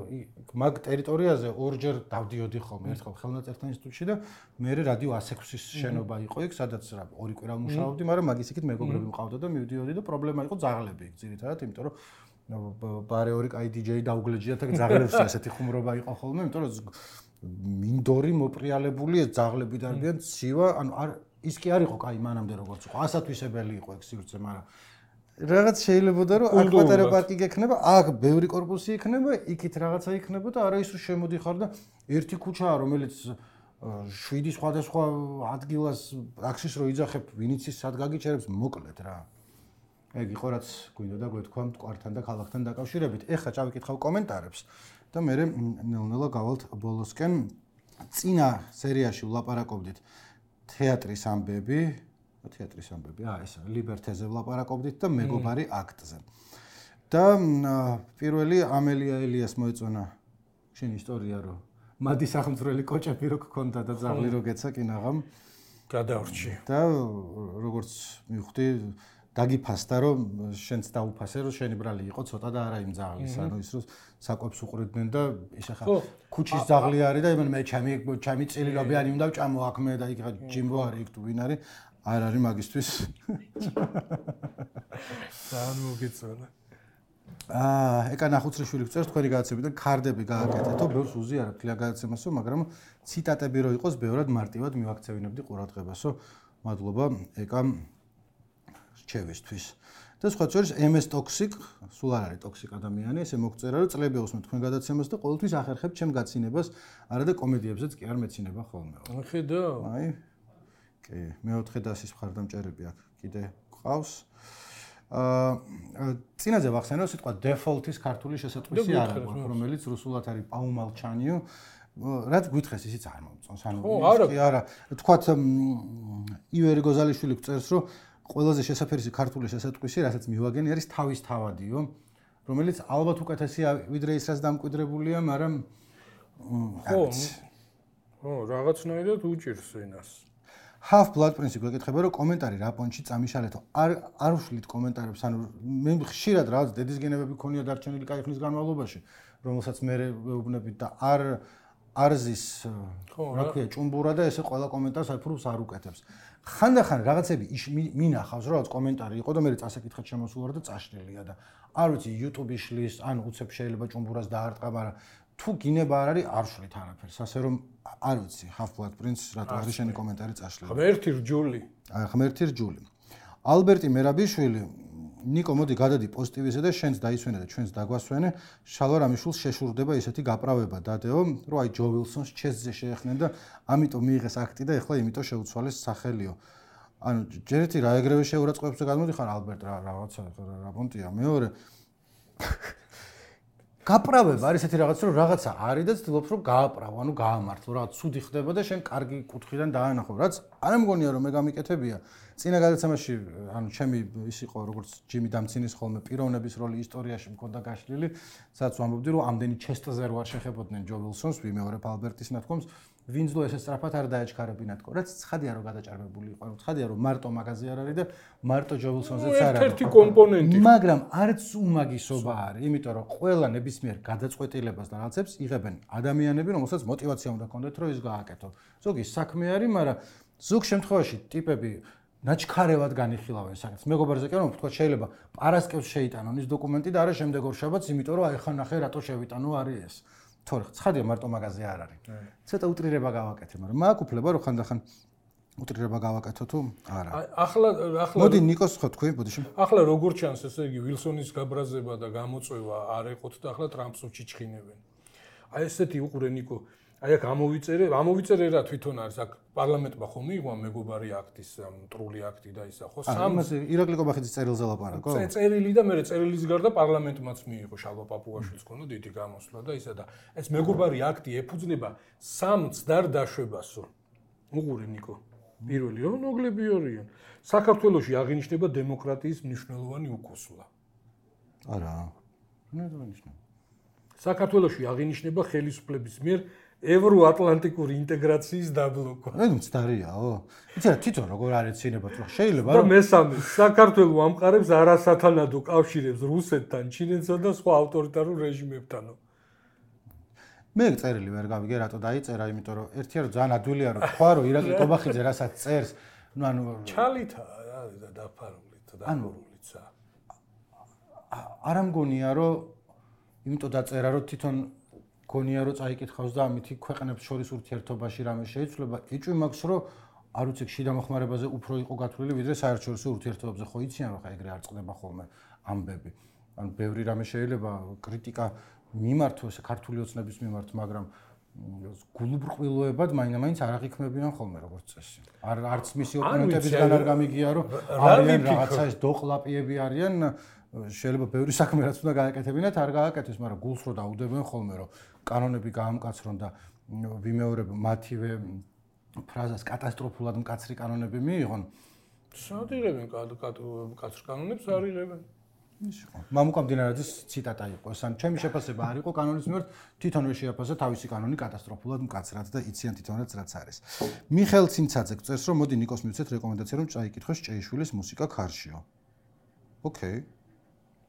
მაგ ტერიტორიაზე ორჯერ დავდიოდი ხოლმე, ერთხელ ხელნაწერთა ინსტიტუტში და მე რადიო ასი ექვსის შენობა იყო იქ, სადაც რა ორი კვირა ვმუშაობდი, მაგრამ მაგის იქით მეგობრები მყავდა და მივდიოდი და პრობლემა იყო ძაღლები იქ ძირითადად, იმიტომ რომ ბარე ორი კაი დიჯეი დაუგლეჯია და ძაღლებს ესეთი ხუმრობა იყო ხოლმე, იმიტომ რომ მინდორი მოპრიალებული ეს ძაღლები დარბიან ცივა, ანუ არ ის კი არ იყო კაი მანამდე როგორც იყო, ასათვისებელი იყო ეგ სივრცე, მაგრამ რაღაც შეიძლებოდა რომ აქ პატარა პარკი გექნება, აქ ბევრი корпуსი იქნება, იქით რაღაცა იქნება და არა ის რომ შემოდიხარ და ერთი ქუჩაა რომელიც შვიდი სხვადასხვა ადგილას ტაქსის რო იძახებ, ვინიც ის სად გაგიჩერებს, მოკლედ რა. ეგ იყო რაც გვინდა და გვეთქვა მტკვართან და ქალაქთან დაკავშირებით. ეხლა წავიკითხავ კომენტარებს და მე ნელ-ნელა გავალთ ბოლოსკენ. წინა სერიაში ვლაპარაკობდით თეატრის ამბები, თეატრის ამბები, აა ეს ლიბერთეზე ვლაპარაკობდით და მეგობარი აქტზე. და პირველი ამელია ელიას მოეწონა შენი ისტორია რომ მადი სახელმწიფოელი კოჭები რო გქონდა და ძაღლი რო გეცა კინაღამ გადავრჩი. და როგორც მივხვდი დაგიფასდა რომ შენც დაუფასე რომ შენი ბრალი იყო ცოტა და არა იმ ძაღლის, ანუ ის რომ საკვებს უყრიდნენ და ის ახლა ქუჩის ძაღლი არის და იმენ მე ჩემი ჩემი წილილობიანი უნდა ვჭამო აქ მე და იქ ჯიმბო არის იქ თუ ვინ არის არ არის მაგისთვის. ძალიან მოგეწონა. აა, ეკა ნახუცრიშვილი გწერს თქვენი გადაცემიდან ქარდები გააკეთეთო, ბევრს უზიარებ თლიან გადაცემასო, მაგრამ ციტატები რო იყოს, ბევრად მარტივად მივაქცევინებდი ყურადღებასო. მადლობა ეკა რჩევისთვის. და სხვა შორის ემ ეს Toxic, სულ არ არის Toxic ადამიანი, ესე მოგწერა რომ წლები უსმენთ თქვენ გადაცემას და ყოველთვის ახერხებთ ჩემ გაცინებას, არა და კომედიებზეც კი არ მეცინება ხოლმე. ხედავ. აი. კი, მეოთხე დასის მხარდამჭერები აქ კიდე ყავს. აა წინაზე ვახსენე სიტყვა default-ის ქართული შესატყვისი არ აქვს, რომელიც რუსულად არის პაუმალჩანიო. რაც გითხეს ისიც არ მომწონს. ანუ კი არა, თქვათ ივერი გოზალიშვილი გწერს რომ ყველაზე შესაფერისი ქართული შესატყვისი, რასაც მივაგენი არის თავის თავადიო, რომელიც ალბათ უკეთესია ვიდრე ის რაც დამკვიდრებულია, მაგრამ ხო, ხო, რაღაცნაირად უჭირს ენას. Half-Blood Prince გვეკითხება რომ კომენტარი რა პონჩი წამიშალეთო. არ არ უშლით კომენტარებს, ანუ მე ხშირად რაღაც დედის გენებები ქონია დარჩენილი კაი ხნის განმავლობაში, რომელსაც მე ვეუბნებით და არ არზის რა ქვია ჭუმბურა და ესე ყველა კომენტარს აიფრუს არ უკეთებს. ხანდახან რაღაცები მინახავს რომ რაღაც კომენტარი იყო და მე წასაკითხად შემოსულ ვარ და წაშლილია და არ ვიცი YouTube-ი შლის, ან უცებ შეიძლება ჭუმბურას დაარტყა, მაგრამ თუ გინება არ არის არ შვლით არაფერს, ასე რომ არ ვიცი Half-Blood Prince რატო არის შენი კომენტარი წაშლილი. ღმერთი რჯული. აი ღმერთი რჯული. ალბერტი მერაბიშვილი, ნიკო მოდი გადადი პოზიტივისა და შენს დაისვენე და ჩვენს დაგვასვენე, შალვა რამიშვილს შეშურდება ისეთი გაправება დადეო, რომ აი ჯო ვილსონს ჩესზე შეეხნენ და ამიტომ მიიღეს აქტი და ეხლა იმიტომ შეუცვალეს სახელიო. ანუ ჯერ ერთი რა ეგრევე შეურაცხყოფებს და გადმოდიხარ ალბერტ რა რაღაცა რა პონტია, მეორე გაправება არის ესეთი რაღაცა რომ რაღაცა არის და ცდილობს რომ გააправო, ანუ გაამართლო, რაღაც ცუდი ხდება და შენ კარგი კუთხიდან დაანახო, რაც არ მგონია რომ მე გამიკეთებია. წინა გადაცემაში, ანუ ჩემი ის იყო როგორც ჯიმი დამცინის ხოლმე პიროვნების როლი ისტორიაში მქონდა გაშლილი, სადაც ვამბობდი რომ ამდენი ჩესტზე რო არ შეხებოდნენ ჯო ვილსონს, ვიმეორებ ალბერტის ნათქვამს, ვინც დო ესე სწრაფად არ დაეჩქარებინათ, რაც ცხადია რომ გადაჭარბებული იყო, ანუ ცხადია რომ მარტო მაგაზე არ არის და მარტო ჯო ვილსონზეც არ არის. ერთ-ერთი კომპონენტი. მაგრამ არც უმაგისობა არის, იმიტომ რომ ყველა ნებისმიერ გადაწყვეტილებას და რაღაცებს იღებენ ადამიანები, რომელსაც мотиваცია უნდა ჰქონდეთ, რომ ის გააკეთო. ზოგი საქმე არის, მაგრამ ზოგ შემთხვევაში ტიპები ნაჩქარევად განიხილავენ საკითხს. მეგობარზე კი არ ვთქვა, შეიძლება პარასკევს შეიტანონ ის დოკუმენტი და არა შემდეგ ორ შაბათს, იმიტომ რომ აი ხან ნახე რატო შევიტანო არის ეს. თორე ცხადია მარტო მაგაზე არ არის. ცოტა უტრირება გავაკეთე, მაგრამ მაგ უფლება რომ ხანდახან უტრირება გავაკეთო თუ არა. ახლა ახლა მოდი ნიკოს ხო თქვი, ბოდიში. ახლა როგორ ჩანს ესე იგი ვილსონის გაბრაზება და გამოწვევა არ ეყოთ და ახლა ტრამპს უჩიჩქინებენ. აი ესეთი უყურე ნიკო. აი აქ ამოვიწერე, ამოვიწერე რა თვითონ არის აქ პარლამენტმა ხომ მიიღო მეგობარი აქტის მტრული აქტი და ისა ხო სამს ირაკლი კობახიძის წერილზე ლაპარაკო? წერილი და მე წერილის გარდა პარლამენტმაც მიიღო შალვა პაპუაშვილს ქონდა დიდი გამოსვლა და ისა და ეს მეგობარი აქტი ეფუძნება სამ მცდარ დაშვებასო. უყურე ნიკო. პირველი რომ ნოგლები არიან. საქართველოში აღინიშნება დემოკრატიის მნიშვნელოვანი უკუსლა. არა. ნუ დანიშნა. საქართველოში აღინიშნება ხელისუფლების მიერ ევროატლანტიკური ინტეგრაციის დაბლოკვა. აი მცდარიაო. იცი რა თვითონ როგორ არის ცინებად რომ შეიძლება და მესამე საქართველოს ამყარებს არასათანადო კავშირებს რუსეთთან, ჩინეთსა და სხვა ავტორიტარულ რეჟიმებთანო. მე წერილი ვერ გავიგე რატო დაიწერა, იმიტომ რომ ერთია რომ ძალიან ადვილია რომ თქვა რომ ირაკლი ტობახიძე რასაც წერს, ну ანუ ჩალითა და დაფარულით და დაფარულიცა. არ ამგონია რომ იმიტომ დაწერა რომ თვითონ გონია რომ წაიკითხავს და ამითი ქვეყნებს შორის ურთიერთობაში რამე შეიცვლება, ეჭვი მაქვს რომ არ ვიცი შიდა მოხმარებაზე უფრო იყო გათვლილი ვიდრე საერთაშორისო ურთიერთობებზე, ხო იციან რომ ხა ეგრე არ წყდება ხოლმე ამბები. ანუ ბევრი რამე შეიძლება კრიტიკა მიმართოს ქართული ოცნების მიმართ, მაგრამ გულუბრყვილოებად მაინც-მაინც არ აღიქმებიან ხოლმე როგორც წესი. არ არც მისი ოპონენტებისგან არ გამიგია რომ არიან რაღაცა ეს დოყლაპიები არიან, შეიძლება ბევრი საქმე რაც უნდა გააკეთებინათ, არ გააკეთეს, მაგრამ გულს რო დაუდებენ ხოლმე რომ კანონები გაამკაცრონ და ვიმეორებ მათივე ფრაზას კატასტროფულად მკაცრი კანონები მიიღონ. სადილებენ კაცრ კანონებს არ იღებენ. მამუკა მდინარაძის ციტატა იყო ეს, ან ჩემი შეფასება არ იყო კანონის მიმართ, თვითონვე შეაფასა თავისი კანონი კატასტროფულად მკაცრად და იციან თვითონაც რაც არის. მიხეილ ცინცაძე წერს რომ მოდი ნიკოს მივცეთ რეკომენდაცია რომ წაიკითხოს ჭეიშვილის მუსიკა ქარშიო. ოკეი.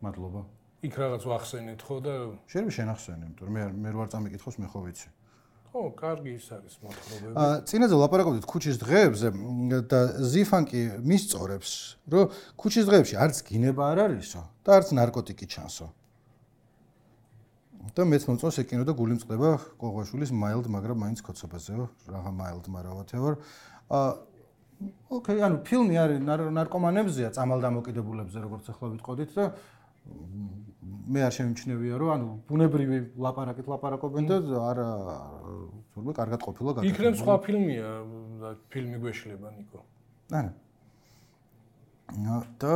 მადლობა. იქ რაღაც ვახსენეთ ხო და შეიძლება შენახსენე, იმიტომ რომ მე მე ვარ წამიკითხოს მე ხო ვიცი. ხო, კარგი ის არის მოთხრობები. აა წინაზე ვლაპარაკობდით ქუჩის დღეებზე და ზიფანკი მისწორებს, რომ ქუჩის დღეებში არც გინება არ არისო და არც ნარკოტიკი ჩანსო. და მეც მომწონს ეკინო და გული მწყდება ყოღვაშვილის mild, მაგრამ მაინც ქოცობაზეო, რაღა mild, მაგრამ whatever. აა ოკეი, ანუ ფილმი არის ნარკომანებზეა, წამალდამოკიდებულებზე, როგორც ახლა ვიტყოდით და მე არ შემიმჩნევია რომ ანუ ბუნებრივი ლაპარაკით ლაპარაკობენ და არა თურმე კარგად ყოფილა გაკეთებული. იქნებ სხვა ფილმია და ფილმი გვეშლება ნიკო. ანა. და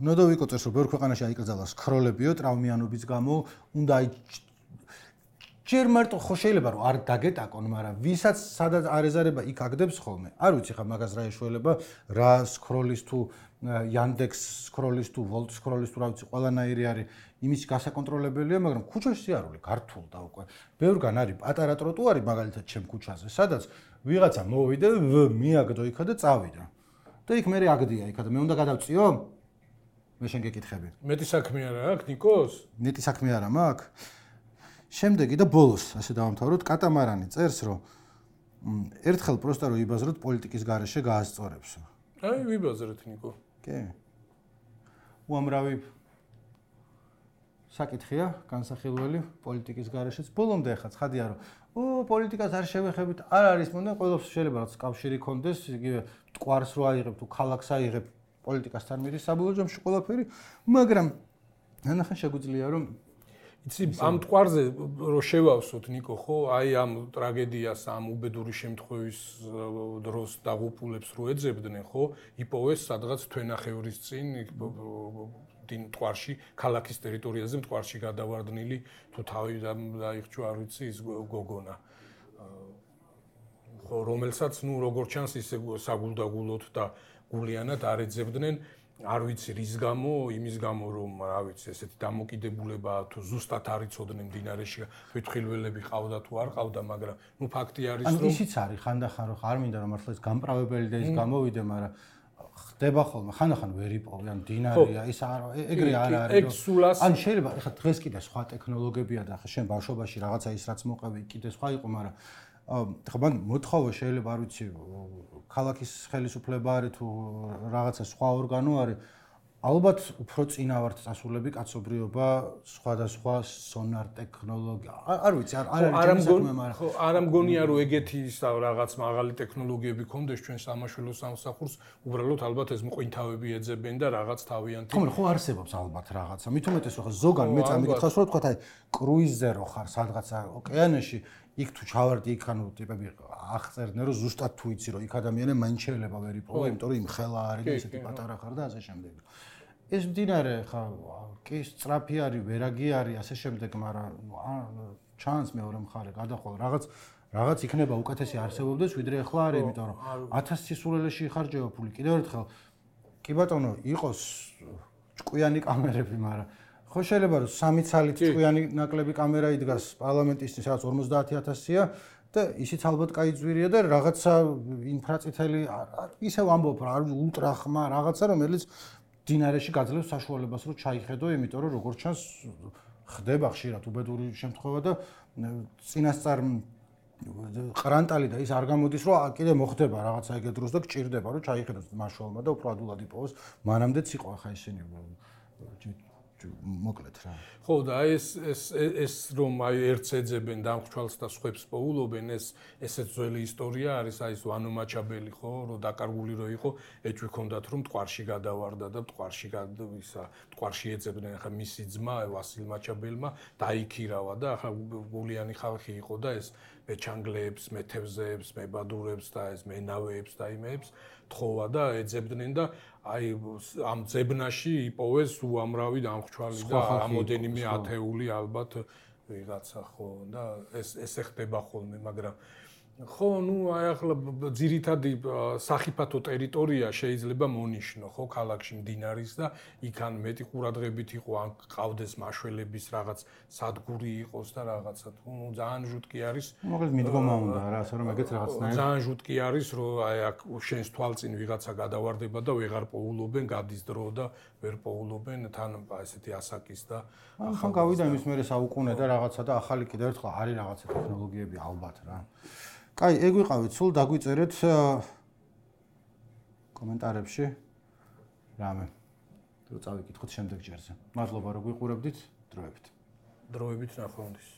ნოდოვიკო წერს რომ ბევრ ქვეყანაში აიკრძალა სქროლებიო ტრაუმიანობის გამო, უნდა ჯერ მარტო ხო შეიძლება რომ არ დაგეტაკონ, მაგრამ ვისაც სადაც არ ეზარება იქ აგდებს ხოლმე. არ ვიცი ხა მაგას რა ეშველება, რა სქროლის თუ Yandex სქროლის თუ Volt სქროლის თუ რა ვიცი, ყველანაირი არის იმის გასაკონტროლებელია, მაგრამ ქუჩაში სიარული გართულდა უკვე. ბევრგან არის პატარა ტროტუარი მაგალითად ჩემ ქუჩაზე, სადაც ვიღაცა მოვიდა, მიაგდო იქა და წავიდა. და იქ მე აგდია იქა და მე უნდა გადავწიო? მე შენ გეკითხები. მეტი საქმე არა აქვს ნიკოს? მეტი საქმე არა მაქვს. შემდეგი და ბოლოს ასე დავამთავროთ, კატამარანი წერს რომ ერთხელ პროსტა რომ იბაზროთ პოლიტიკის გარეშე გაასწორებსო. აი ვიბაზრეთ ნიკო. კი. უამრავი საკითხია განსახილველი პოლიტიკის გარეშეც. ბოლომდე ახლა ცხადია რომ ო პოლიტიკას არ შევეხებით, არ არის მონდა, ყველას შეიძლება რაც კავშირი კონდეს, იგივე მტკვარს რო აიღებ თუ ქალაქს აიღებ პოლიტიკასთან მიდის საბოლოო ჯამში ყველაფერი, მაგრამ ნახე შეგვიძლია რომ იცი ამ მტკვარზე რო შევავსოთ ნიკო ხო, აი ამ ტრაგედიას, ამ უბედური შემთხვევის დროს დაღუპულებს რო ეძებდნენ ხო, იპოვეს სადღაც თვენახევრის წინ დინ მტკვარში, ქალაქის ტერიტორიაზე მტკვარში გადავარდნილი თუ თავი დაიხჩვა არ ვიცი ის გოგონა. ხო, რომელსაც ნუ როგორ ჩანს ისე საგულდაგულოდ და გულიანად არ ეძებდნენ. არ ვიცი რის გამო, იმის გამო რომ რა ვიცი, ესეთი დამოკიდებულება თუ ზუსტად არ იცოდნენ მდინარეში ფეთხილველები ყავდა თუ არ ყავდა, მაგრამ ნუ ფაქტი არის რომ ანუ ისიც არის ხანდახან რომ არ მინდა რომ მართლა ეს გამპრავებელი და ის გამოვიდე, მაგრამ ხდება ხოლმე ხანდახან ვერ იპოვე, ან მდინარეა, ის არ ეგრე არ არის. ან შეიძლება ეხლა დღეს კიდე სხვა ტექნოლოგიებია და ახლა შენ ბავშვობაში რაღაცა ის რაც მოყევი კიდე სხვა იყო, მაგრამ ხა მან მოთხოვა შეიძლება არ ვიცი ქალაქის ხელისუფლება არის თუ რაღაცა სხვა ორგანო არის, ალბათ უფრო წინა ვართ წასულები კაცობრიობა სხვადასხვა სონარ ტექნოლოგია. არ ვიცი, არ არის ჩემი საქმე, მაგრამ ხო, არ ამგონია რომ ეგეთი რაღაც მაღალი ტექნოლოგიები ქონდეს ჩვენ სამაშველო სამსახურს, უბრალოდ ალბათ ეს მყინთავები ეძებენ და რაღაც თავიანთი. ხო, ხო არსებობს ალბათ რაღაცა. მით უმეტეს ხო ზოგან მე წამიკითხავს რომ თქვა აი კრუიზზე რო ხარ სადღაც ოკეანეში, იქ თუ ჩავარდი იქ ანუ ტიპები აღწერდნენ რომ ზუსტად თუ იცი რომ იქ ადამიანები მაინც შეიძლება ვერ იპოვო, იმიტომ რომ იმ ხელა არის და ესეთი პატარა ხარ და ასე შემდეგ. ეს მდინარე ხა კი სწრაფი არის, ვერაგი არის, ასე შემდეგ, მაგრამ ჩანს მეორე მხარე გადახვალ რაღაც რაღაც იქნება უკეთესი არსებობდეს, ვიდრე ახლა არის, იმიტომ რომ ათას სისულელეში იხარჯება ფული. კიდევ ერთხელ კი ბატონო, იყოს ჭკვიანი კამერები, მაგრამ ხო შეიძლება რომ სამი ცალით ჭკვიანი ნაკლები კამერა იდგას პარლამენტისთვის რაღაც ორმოცდაათი ათასია და ისიც ალბათ კაი ძვირია და რაღაცა ინფრაწითელი ისევ ამბობ რა ულტრა ხმა რაღაცა რომელიც დინარეში გაძლევს საშუალებას რომ ჩაიხედო, იმიტომ რომ როგორც ჩანს ხდება ხშირად უბედური შემთხვევა და წინასწარ ყრანტალი და ის არ გამოდის რომ კიდე მოხდება რაღაცა ეგეთ დროს და გჭირდება რომ ჩაიხედოს მაშვალმა და უფრო ადულად იპოვოს მანამდეც იყო ახლა ისინი მოკლედ რა. ხო და აი ეს ეს ეს რომ აი ერთს ეძებენ დამხჩვალს და სხვებს პოულობენ ეს ესეც ძველი ისტორია არის აი ეს ვანო მაჩაბელი ხო რომ დაკარგული რო იყო ეჭვი ჰქონდათ რომ მტკვარში გადავარდა და მტკვარში ისა მტკვარში ეძებდნენ ახლა მისი ძმა ვასილ მაჩაბელმა დაიქირავა და ახლა გულიანი ხალხი იყო და ეს მეჩანგლეებს, მეთევზეებს, მებადურებს და ეს მენავეებს და იმეებს თხოვა და ეძებდნენ და აი ამ ძებნაში იპოვეს უამრავი დამხჩვალი და რამოდენიმე ათეული ალბათ ვიღაცა ხო და ეს ესე ხდება ხოლმე მაგრამ ხო ნუ აი ახლა ძირითადი სახიფათო ტერიტორია შეიძლება მონიშნო ხო ქალაქში მდინარის და იქან მეტი ყურადღებით იყო ან ყავდეს მაშველების რაღაც სადგური იყოს და რაღაცა თუ ნუ ძალიან ჟუტკი არის მოკლედ მიდგომა უნდა რა ასე რომ ეგეც რაღაცნაირად ძალიან ჟუტკი არის რომ აი აქ შენს თვალწინ ვიღაცა გადავარდება და ვეღარ პოულობენ გადის დრო და ვერ პოულობენ თან ესეთი ასაკის და ახლა გავიდა იმის მერე საუკუნე და რაღაცა და ახალი კიდევ ერთხელ არის რაღაცა ტექნოლოგიები ალბათ რა კაი, ეგ ვიყავით, სულ დაგვიწერეთ კომენტარებში რამე. რო წავიკითხოთ შემდეგ ჯერზე. მადლობა რომ გვიყურებდით, დროებით. დროებით ნახვამდის.